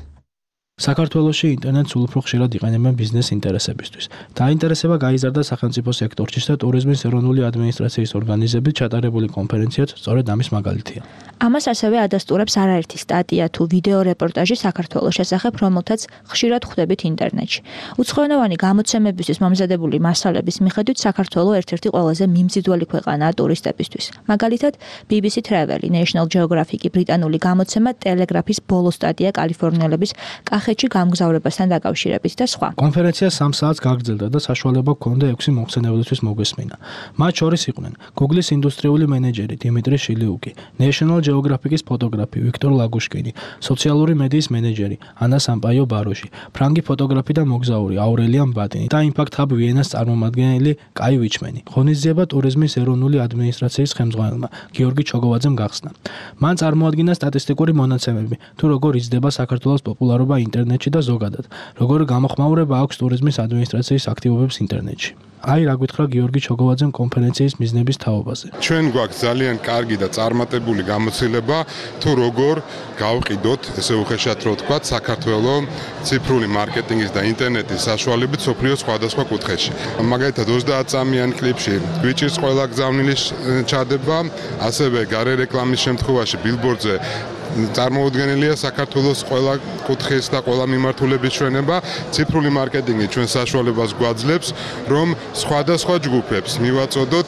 საქართველოში ინტერნეტს სულ უფრო ხშირად იყენებენ ბიზნეს ინტერესებისთვის. დაინტერესება გაიზარდა სახელმწიფო სექტორში და ტურიზმის ეროვნული ადმინისტრაციის ორგანიზებით ჩატარებული კონფერენციაც სწორედ ამის მაგალითია. ამას ასევე ადასტურებს არაერთი სტატია თუ ვიდეო რეპორტაჟი საქართველოს შესახებ, რომელთაც ხშირად ხვდებით ინტერნეტში. უცხოენოვანი გამოცემებისთვის მომზადებული მასალების მიხედვით საქართველო ერთ-ერთი ყველაზე მიმზიდველი ქვეყანაა ტურისტებისთვის. მაგალითად, ბი ბი სი Travel, National Geographic, ბრიტანული გამოცემა Telegraph-ის ბოლო სტატია კალიფორნიელების კახეთში გამგზავრებასთან დაკავშირებით და სხვა. კონფერენცია სამ საათს გაგრძელდა და საშუალება ჰქონდა ექვსი მომხსენებლისთვის მოგვესმინა. მათ შორის იყვნენ Google-ის ინდუსტრიული მენეჯერი დიმიტრი შილიუკი, National Geographic-ის ფოტოგრაფი ვიქტორ ლაგუშკინი, სოციალური მედიის მენეჯერი ანა სამპაიო ბაროში, ფრანგი ფოტოგრაფი და მოგზაური აურელიამ ბატინი და Impact Hub Vienna-ს წარმომადგენელი კაი ვიჩმენი. ღონისძიება ტურიზმის ეროვნული ადმინისტრაციის ხელმძღვანელმა გიორგი ჩოგოვაძემ გახსნა. მან წარმოადგინა სტატისტიკური მონაცემები, თუ როგორ იზრდება საქართველოს პოპულარობა ინტერნეტში და ზოგადად, როგორ გამოხმაურება აქვს ტურიზმის ადმინისტრაციის აქტივობებს ინტერნეტში. აი რა გითხრა გიორგი ჩოგოვაძემ კონფერენციის მიზნების თაობაზე. ჩვენ გვაქვს ძალიან კარგი და წარმატებული გამოცდილება თუ როგორ გავყიდოთ, ესე უხეშად რო ვთქვათ, საქართველოს ციფრული მარკეტინგის და ინტერნეტის საშუალებით სოფლიოს სხვადასხვა კუთხეში. მაგალითად ოცდაათ წამიან კლიპში გვიჭირს ყველა გზავნილი ჩადება, ასევე გარე რეკლამის შემთხვევაში ბილბორდზე წარმოუდგენელია საქართველოს ყველა კუთხის და ყველა მიმართულების ჩვენება. ციფრული მარკეტინგი ჩვენ საშუალებას გვაძლევს, რომ სხვადასხვა ჯგუფებს მივაწოდოთ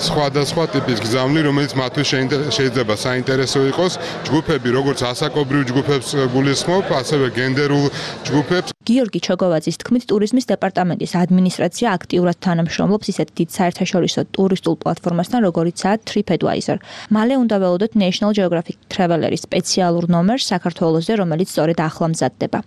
სხვადასხვა ტიპის გზავნილი, რომელიც მათთვის შეიძლება საინტერესო იყოს. ჯგუფები როგორც ასაკობრივ ჯგუფებს გულისხმობ, ასევე გენდერულ ჯგუფებს. გიორგი ჩოგოვაძის თქმით, ტურიზმის დეპარტამენტის ადმინისტრაცია აქტიურად თანამშრომლობს ისეთ დიდ საერთაშორისო ტურისტულ პლატფორმასთან, როგორიცაა TripAdvisor. მალე უნდა ველოდოთ National Geographic Traveler-ის სპეციალურ ნომერს საქართველოსზე, რომელიც სწორედ ახლა მზადდება.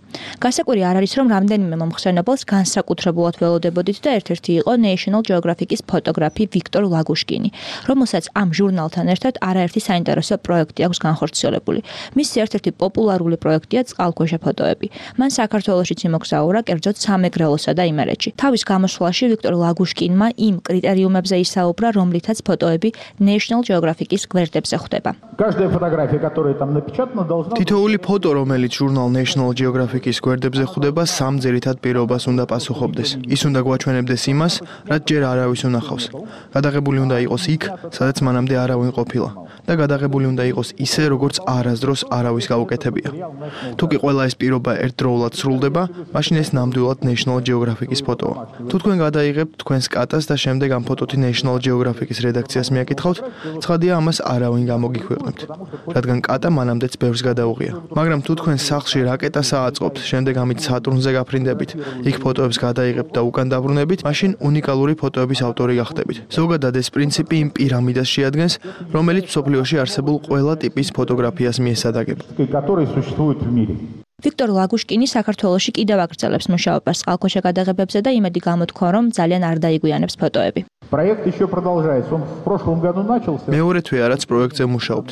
გასაკვირი არ არის, რომ რამდენიმე მომხსენებელს განსაკუთრებულად ველოდებოდით და ერთ-ერთი იყო National Geographic-ის ფოტოგრაფი ვიქტორ ლაგუშკინი, რომელსაც ამ ჟურნალთან ერთად არაერთი საინტერესო პროექტი აქვს განხორციელებული. მისი ერთ-ერთი პოპულარული პროექტია წყალქვეშა ფოტოები. მან საქართველოშიც იმოგზაურა კერძოდ სამეგრელოსა და იმერეთში. თავის გამოსვლაში ვიქტორ ლაგუშკინმა იმ კრიტერიუმებზე ისაუბრა, რომლითაც ფოტოები National Geographic-ის გვერდებზე ხვდება. თითოეული ფოტო, რომელიც ჟურნალ National Geographic-ის გვერდებზე ხვდება, სამ ძირითად პირობას უნდა პასუხობდეს. ის უნდა გვაჩვენებდეს იმას, რაც ჯერ არავის უნახავს. გადაღებული უნდა იყოს იქ, სადაც მანამდე არავინ ყოფილა და გადაღებული უნდა იყოს ისე, როგორც არასდროს არავის გაუკეთებია. თუ კი ყველა ეს პირობა ერთდროულად სრულდება, მაშინ ეს ნამდვილად National Geographic-ის ფოტოა. თუ თქვენ გადაიღებთ თქვენს კატას და შემდეგ ამ ფოტოთი National Geographic-ის რედაქციას მიაკითხავთ, ცხადია ამას არავინ გამოგიქვეყნებთ, რადგან კატა მანამდეც ბევრს გადაუღია. მაგრამ თუ თქვენ სახლში რაკეტას ააწყობთ, შემდეგ ამით სატურნზე გაფრინდებით, იქ ფოტოებს გადაიღებთ და უკან დაბრუნებით, მაშინ უნიკალური ფოტოების ავტორი გახდებით. ზოგადად ეს პრინციპი იმ პირამიდას შეადგენს, რომელიც მსოფლიოში არსებულ ყველა ტიპის ფოტოგრაფიას მიესადაგება. ვიქტორ ლაგუშკინი საქართველოში კიდევ აგრძელებს მუშაობას წყალქვეშა გადაღებებზე და იმედი გამოთქვა, რომ ძალიან არ დაიგვიანებს ფოტოები. Проект еще продолжается. Он в прошлом году начался. მეორე თვეა რაც პროექტზე მუშაობთ.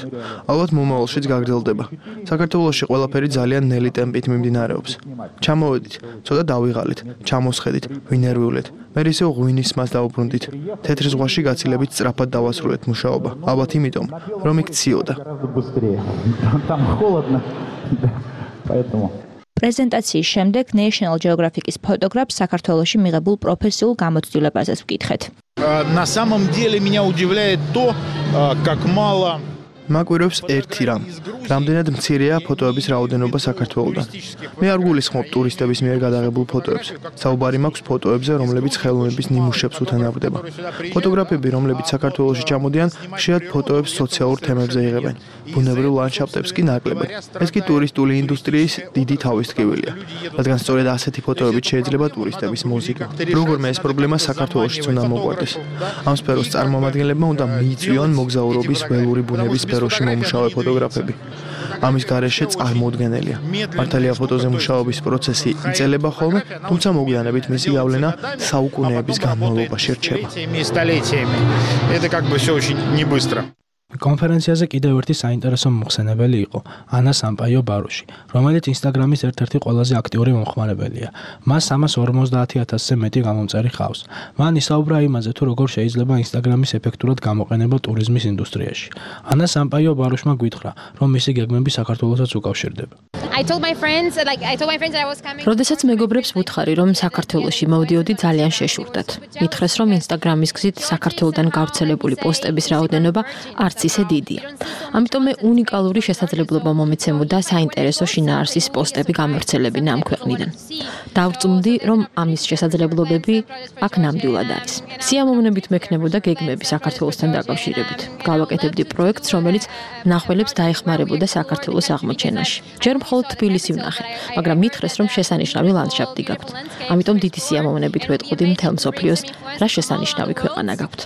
ალბათ მომავალშიც გაგრძელდება. საქართველოში ყველაფერი ძალიან ნელი ტემპით მიმდინარეობს. ჩამოვედით, ცოტა დავიღალით, ჩამოსხედით, ვინერვიულეთ. მე ისე ღვინის მას დავუბრუნდით. თეთრ ზღვაში გაცილებით სწრაფად დავასრულეთ მუშაობა. ალბათ იმიტომ, რომ იქ ციოდა. Там холодно. Поэтому პრეზენტაციის შემდეგ National Geographic-ის ფოტოგრაფს საქართველოში მიღებულ პროფესიულ გამოცდილებაზეც ვკითხეთ. На самом деле меня удивляет то, как мало მაკვირვებს ერთი რამ. რამდენად მცირეა ფოტოების რაოდენობა საქართველოდან. მე არ გულისხმობ ტურისტების მიერ გადაღებულ ფოტოებს. საუბარი მაქვს ფოტოებზე, რომლებიც ხელოვნების ნიმუშებს უთანაბრდება. ფოტოგრაფები, რომლებიც საქართველოში ჩამოდიან, ხშირად ფოტოებს სოციალურ თემებზე იღებენ. ბუნებრივ ლანდშაფტებს კი ნაკლებად. ეს კი ტურისტული ინდუსტრიის დიდი თავისთქმელია, რადგან სწორედ ასეთი ფოტოებით შეიძლება ტურისტების მოზიდვა. როგორმე ეს პრობლემა საქართველოშიც უნდა მოყვარდეს. ამ სფეროს წარმომადგენლებმა უნდა მიიწვიონ მოგზაურობის ველური ბუნების სფეროში მომუშავე ფოტოგრაფები. ამის გარეშე წარმოუდგენელია. მართალია ფოტოზე მუშაობის პროცესი იწელება ხოლმე, თუმცა მოგვიანებით მისი გავლენა საუკუნეების განმავლობაში რჩება. Это как бы всё очень не быстро. კონფერენციაზე კიდევ ერთი საინტერესო მოხსენებელი იყო ანა სამპაიო ბარუში, რომელიც ინსტაგრამის ერთ-ერთი ყველაზე აქტიური მომხმარებელია. მას სამას ორმოცდაათი ათასზე მეტი გამომწერი ჰყავს. მან ისაუბრა იმაზე, თუ როგორ შეიძლება ინსტაგრამის ეფექტურად გამოყენება ტურიზმის ინდუსტრიაში. ანა სამპაიო ბარუშმა გვითხრა, რომ მისი გეგმები საქართველოსაც უკავშირდება. როდესაც მეგობრებს ვუთხარი, რომ საქართველოში მოვდიოდი, ძალიან შეშურდათ. მითხრეს, რომ ინსტაგრამის გზით საქართველოდან გავრცელებული პოსტების რაოდენობა არც ისე დიდია. ამიტომ მე უნიკალური შესაძლებლობა მომეცემოდა საინტერესო შინაარსის პოსტები გამავრცელებინა ამ ქვეყნიდან. დავწუნდი, რომ ამის შესაძლებლობები აქ ნამდვილად არის. სიამოვნებით მექნებოდა გეგმები საქართველოსთან დაკავშირებით. გავაკეთებდი პროექტს, რომელიც მნახველებს დაეხმარებოდა საქართველოს აღმოჩენაში. ჯერ მხოლოდ თბილისი ვნახე, მაგრამ მითხრეს, რომ შესანიშნავი ლანდშაფტი გაქვთ. ამიტომ დიდი სიამოვნებით ვეტყოდი მთელ მსოფლიოს, რა შესანიშნავი ქვეყანა გაქვთ.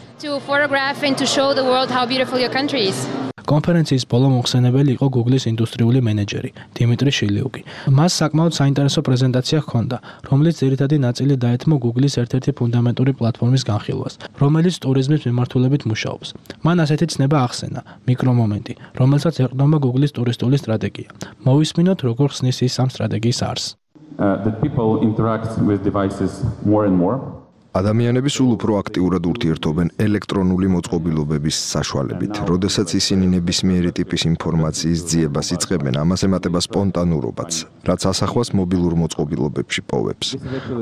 კონფერენციის ბოლო მოხსენებელი იყო Google-ის ინდუსტრიული მენეჯერი დიმიტრი შილიუკი. მას საკმაოდ საინტერესო პრეზენტაცია ჰქონდა, რომლის ძირითადი ნაწილი დაეთმო Google-ის ერთ-ერთი ფუნდამენტური პლატფორმის განხილვას, რომელიც ტურიზმის მიმართულებით მუშაობს. მან ასეთი ცნება ახსენა, მიკრომომენტი, რომელსაც ეყრდნობა Google-ის ტურისტული სტრატეგია. მოვისმინოთ, როგორ ხსნის ის ამ სტრატეგიის არსს. ადამიანები სულ უფრო აქტიურად ურთიერთობენ ელექტრონული მოწყობილობების საშუალებით. როდესაც ისინი ნებისმიერი ტიპის ინფორმაციის ძიებას იწყებენ, ამას ემატება სპონტანურობაც, რაც ასახვას მობილურ მოწყობილობებში პოვებს.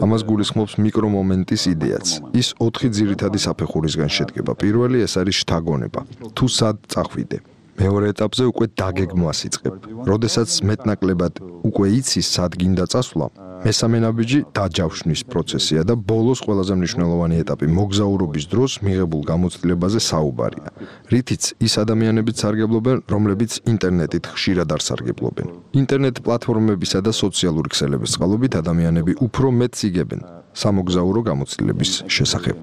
ამას გულისხმობს მიკრომომენტის იდეაც. ის ოთხი ძირითადი საფეხურისგან შედგება. პირველი ეს არის შთაგონება. თუ სად წახვიდე. მეორე ეტაპზე უკვე დაგეგმვას იწყებ. როდესაც მეტნაკლებად უკვე იცის სად გინდა წასვლა, მესამე ნაბიჯი დაჯავშნის პროცესია და ბოლოს ყველაზე მნიშვნელოვანი ეტაპი მოგზაურობის დროს მიღებულ გამოცდილებაზე საუბარია. რითიც ის ადამიანებიც სარგებლობენ, რომლებიც ინტერნეტით ხშირად არ სარგებლობენ. ინტერნეტ პლატფორმებისა და სოციალური ქსელების წყალობით ადამიანები უფრო მეტს იგებენ სამოგზაურო გამოცდილების შესახებ.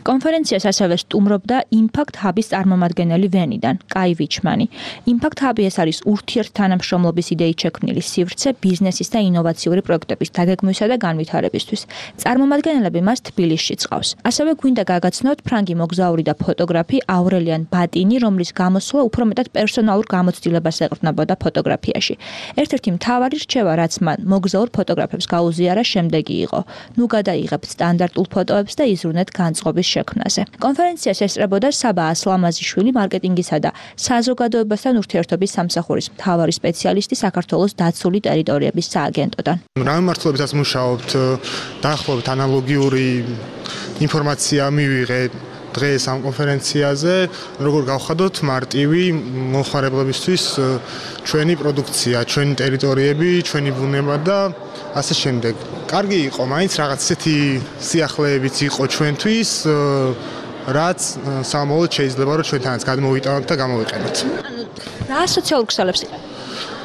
კონფერენციას ასევე სტუმრობდა Impact Hub-ის წარმომადგენელი ვენიდან, კაი ვიჩმანი. Impact Hub-ი ეს არის ურთიერთთანამშრომლობის იდეით შექმნილი სივრცე ბიზნესის და ინოვაციური პროექტების დაგეგმვისა და განვითარებისთვის. წარმომადგენლები მას თბილისში წყავს. ასევე გვინდა გაგაცნოთ ფრანგი მოგზაური და ფოტოგრაფი აურელიან ბატინი, რომლის გამოსვლა უფრო მეტად პერსონალურ გამოცდილებას ეყრდნობოდა ფოტოგრაფიაში. ერთ-ერთი მთავარი რჩევა, რაც მან მოგზაურ ფოტოგრაფებს გაუზიარა, შემდეგი იყო: ნუ გადაიღებთ სტანდარტულ ფოტოებს და იზრუნეთ განწყობის შექმნაზე. კონფერენციას ესწრებოდა საბა ასლამაზიშვილი, მარკეტინგისა და საზოგადოებასთან ურთიერთობის სამსახურის მთავარი სპეციალისტი საქართველოს დაცული ტერიტორიების სააგენტოდან. რა მიმართულებითაც მუშაობთ, დაახლოებით ანალოგიური ინფორმაცია მივიღეთ დღეს ამ კონფერენციაზე, როგორ გავხადოთ მარტივი მომხმარებლებისთვის ჩვენი პროდუქცია, ჩვენი ტერიტორიები, ჩვენი ბუნება და ასე შემდეგ. კარგი იყო, მაინც რაღაც ისეთი სიახლეებიც იყო ჩვენთვის, რაც სამომავლოდ შეიძლება რომ ჩვენთანაც გადმოვიტანოთ და გამოვიყენოთ. რა სოციალურ ქსელებს იყენებთ?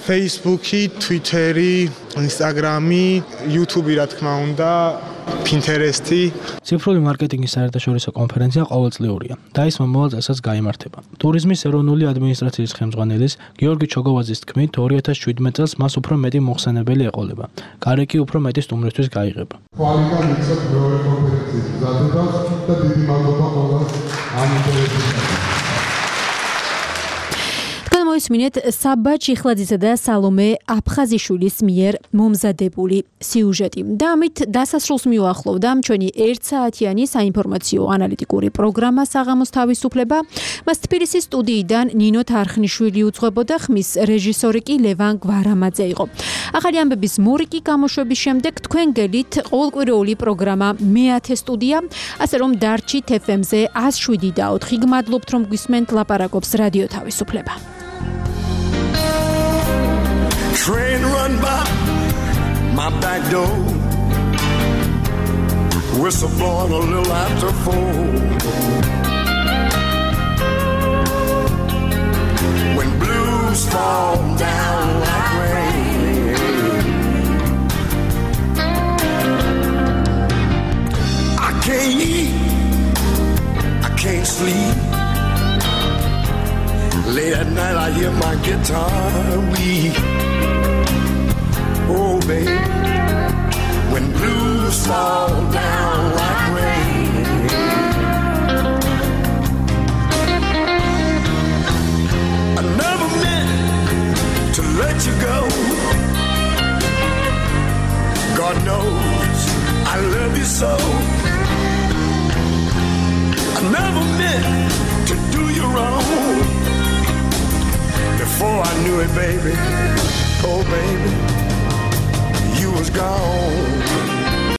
Facebook-ი, Twitter-ი, Instagram-ი, YouTube-ი რა თქმა უნდა, Pinterest-ი. ციფრული მარკეტინგის საერთაშორისო კონფერენცია ყოველწლიურია და ის მომავალ წელსაც გაიმართება. ტურიზმის ეროვნული ადმინისტრაციის ხელმძღვანელის გიორგი ჩოგოვაძის თქმით, ორი ათას შვიდმეტ წელს მას უფრო მეტი მოხსენებელი ეყოლება. გარეკი უფრო მეტი სტუმრისთვის გაიღება. ხვალიდან მიცემ მეორე კონფერენციის მზადებას და დიდი მადლობა ყველას ამ ინტერესის მოვისმინეთ საბა ჩიხლაძისა და სალომე აფხაზიშვილის მიერ მომზადებული სიუჟეტი. და ამით დასასრულს მიუახლოვდა ჩვენი ერთ საათიანი საინფორმაციო ანალიტიკური პროგრამა საღამოს თავისუფლება. მას თბილისის სტუდიიდან ნინო თარხნიშვილი უძღვებოდა, ხმის რეჟისორი კი ლევან გვარამაძე იყო. ახალი ამბების მორიგი გამოშვების შემდეგ თქვენ გელით ყოველკვირეული პროგრამა მეათე სტუდია, ასე რომ დარჩით ეფ ემ-ზე ას შვიდი და ოთხი. გმადლობთ რომ გვისმენთ, ლაპარაკობს რადიო თავისუფლება. Train run by my back door, whistle blowing a little after four. When blues fall down like rain, I can't eat, I can't sleep. Late at night I hear my guitar weep. Oh baby, when blues fall down like rain, I never meant to let you go. God knows I love you so. I never meant to do you wrong. Before I knew it, baby, oh baby, you was gone.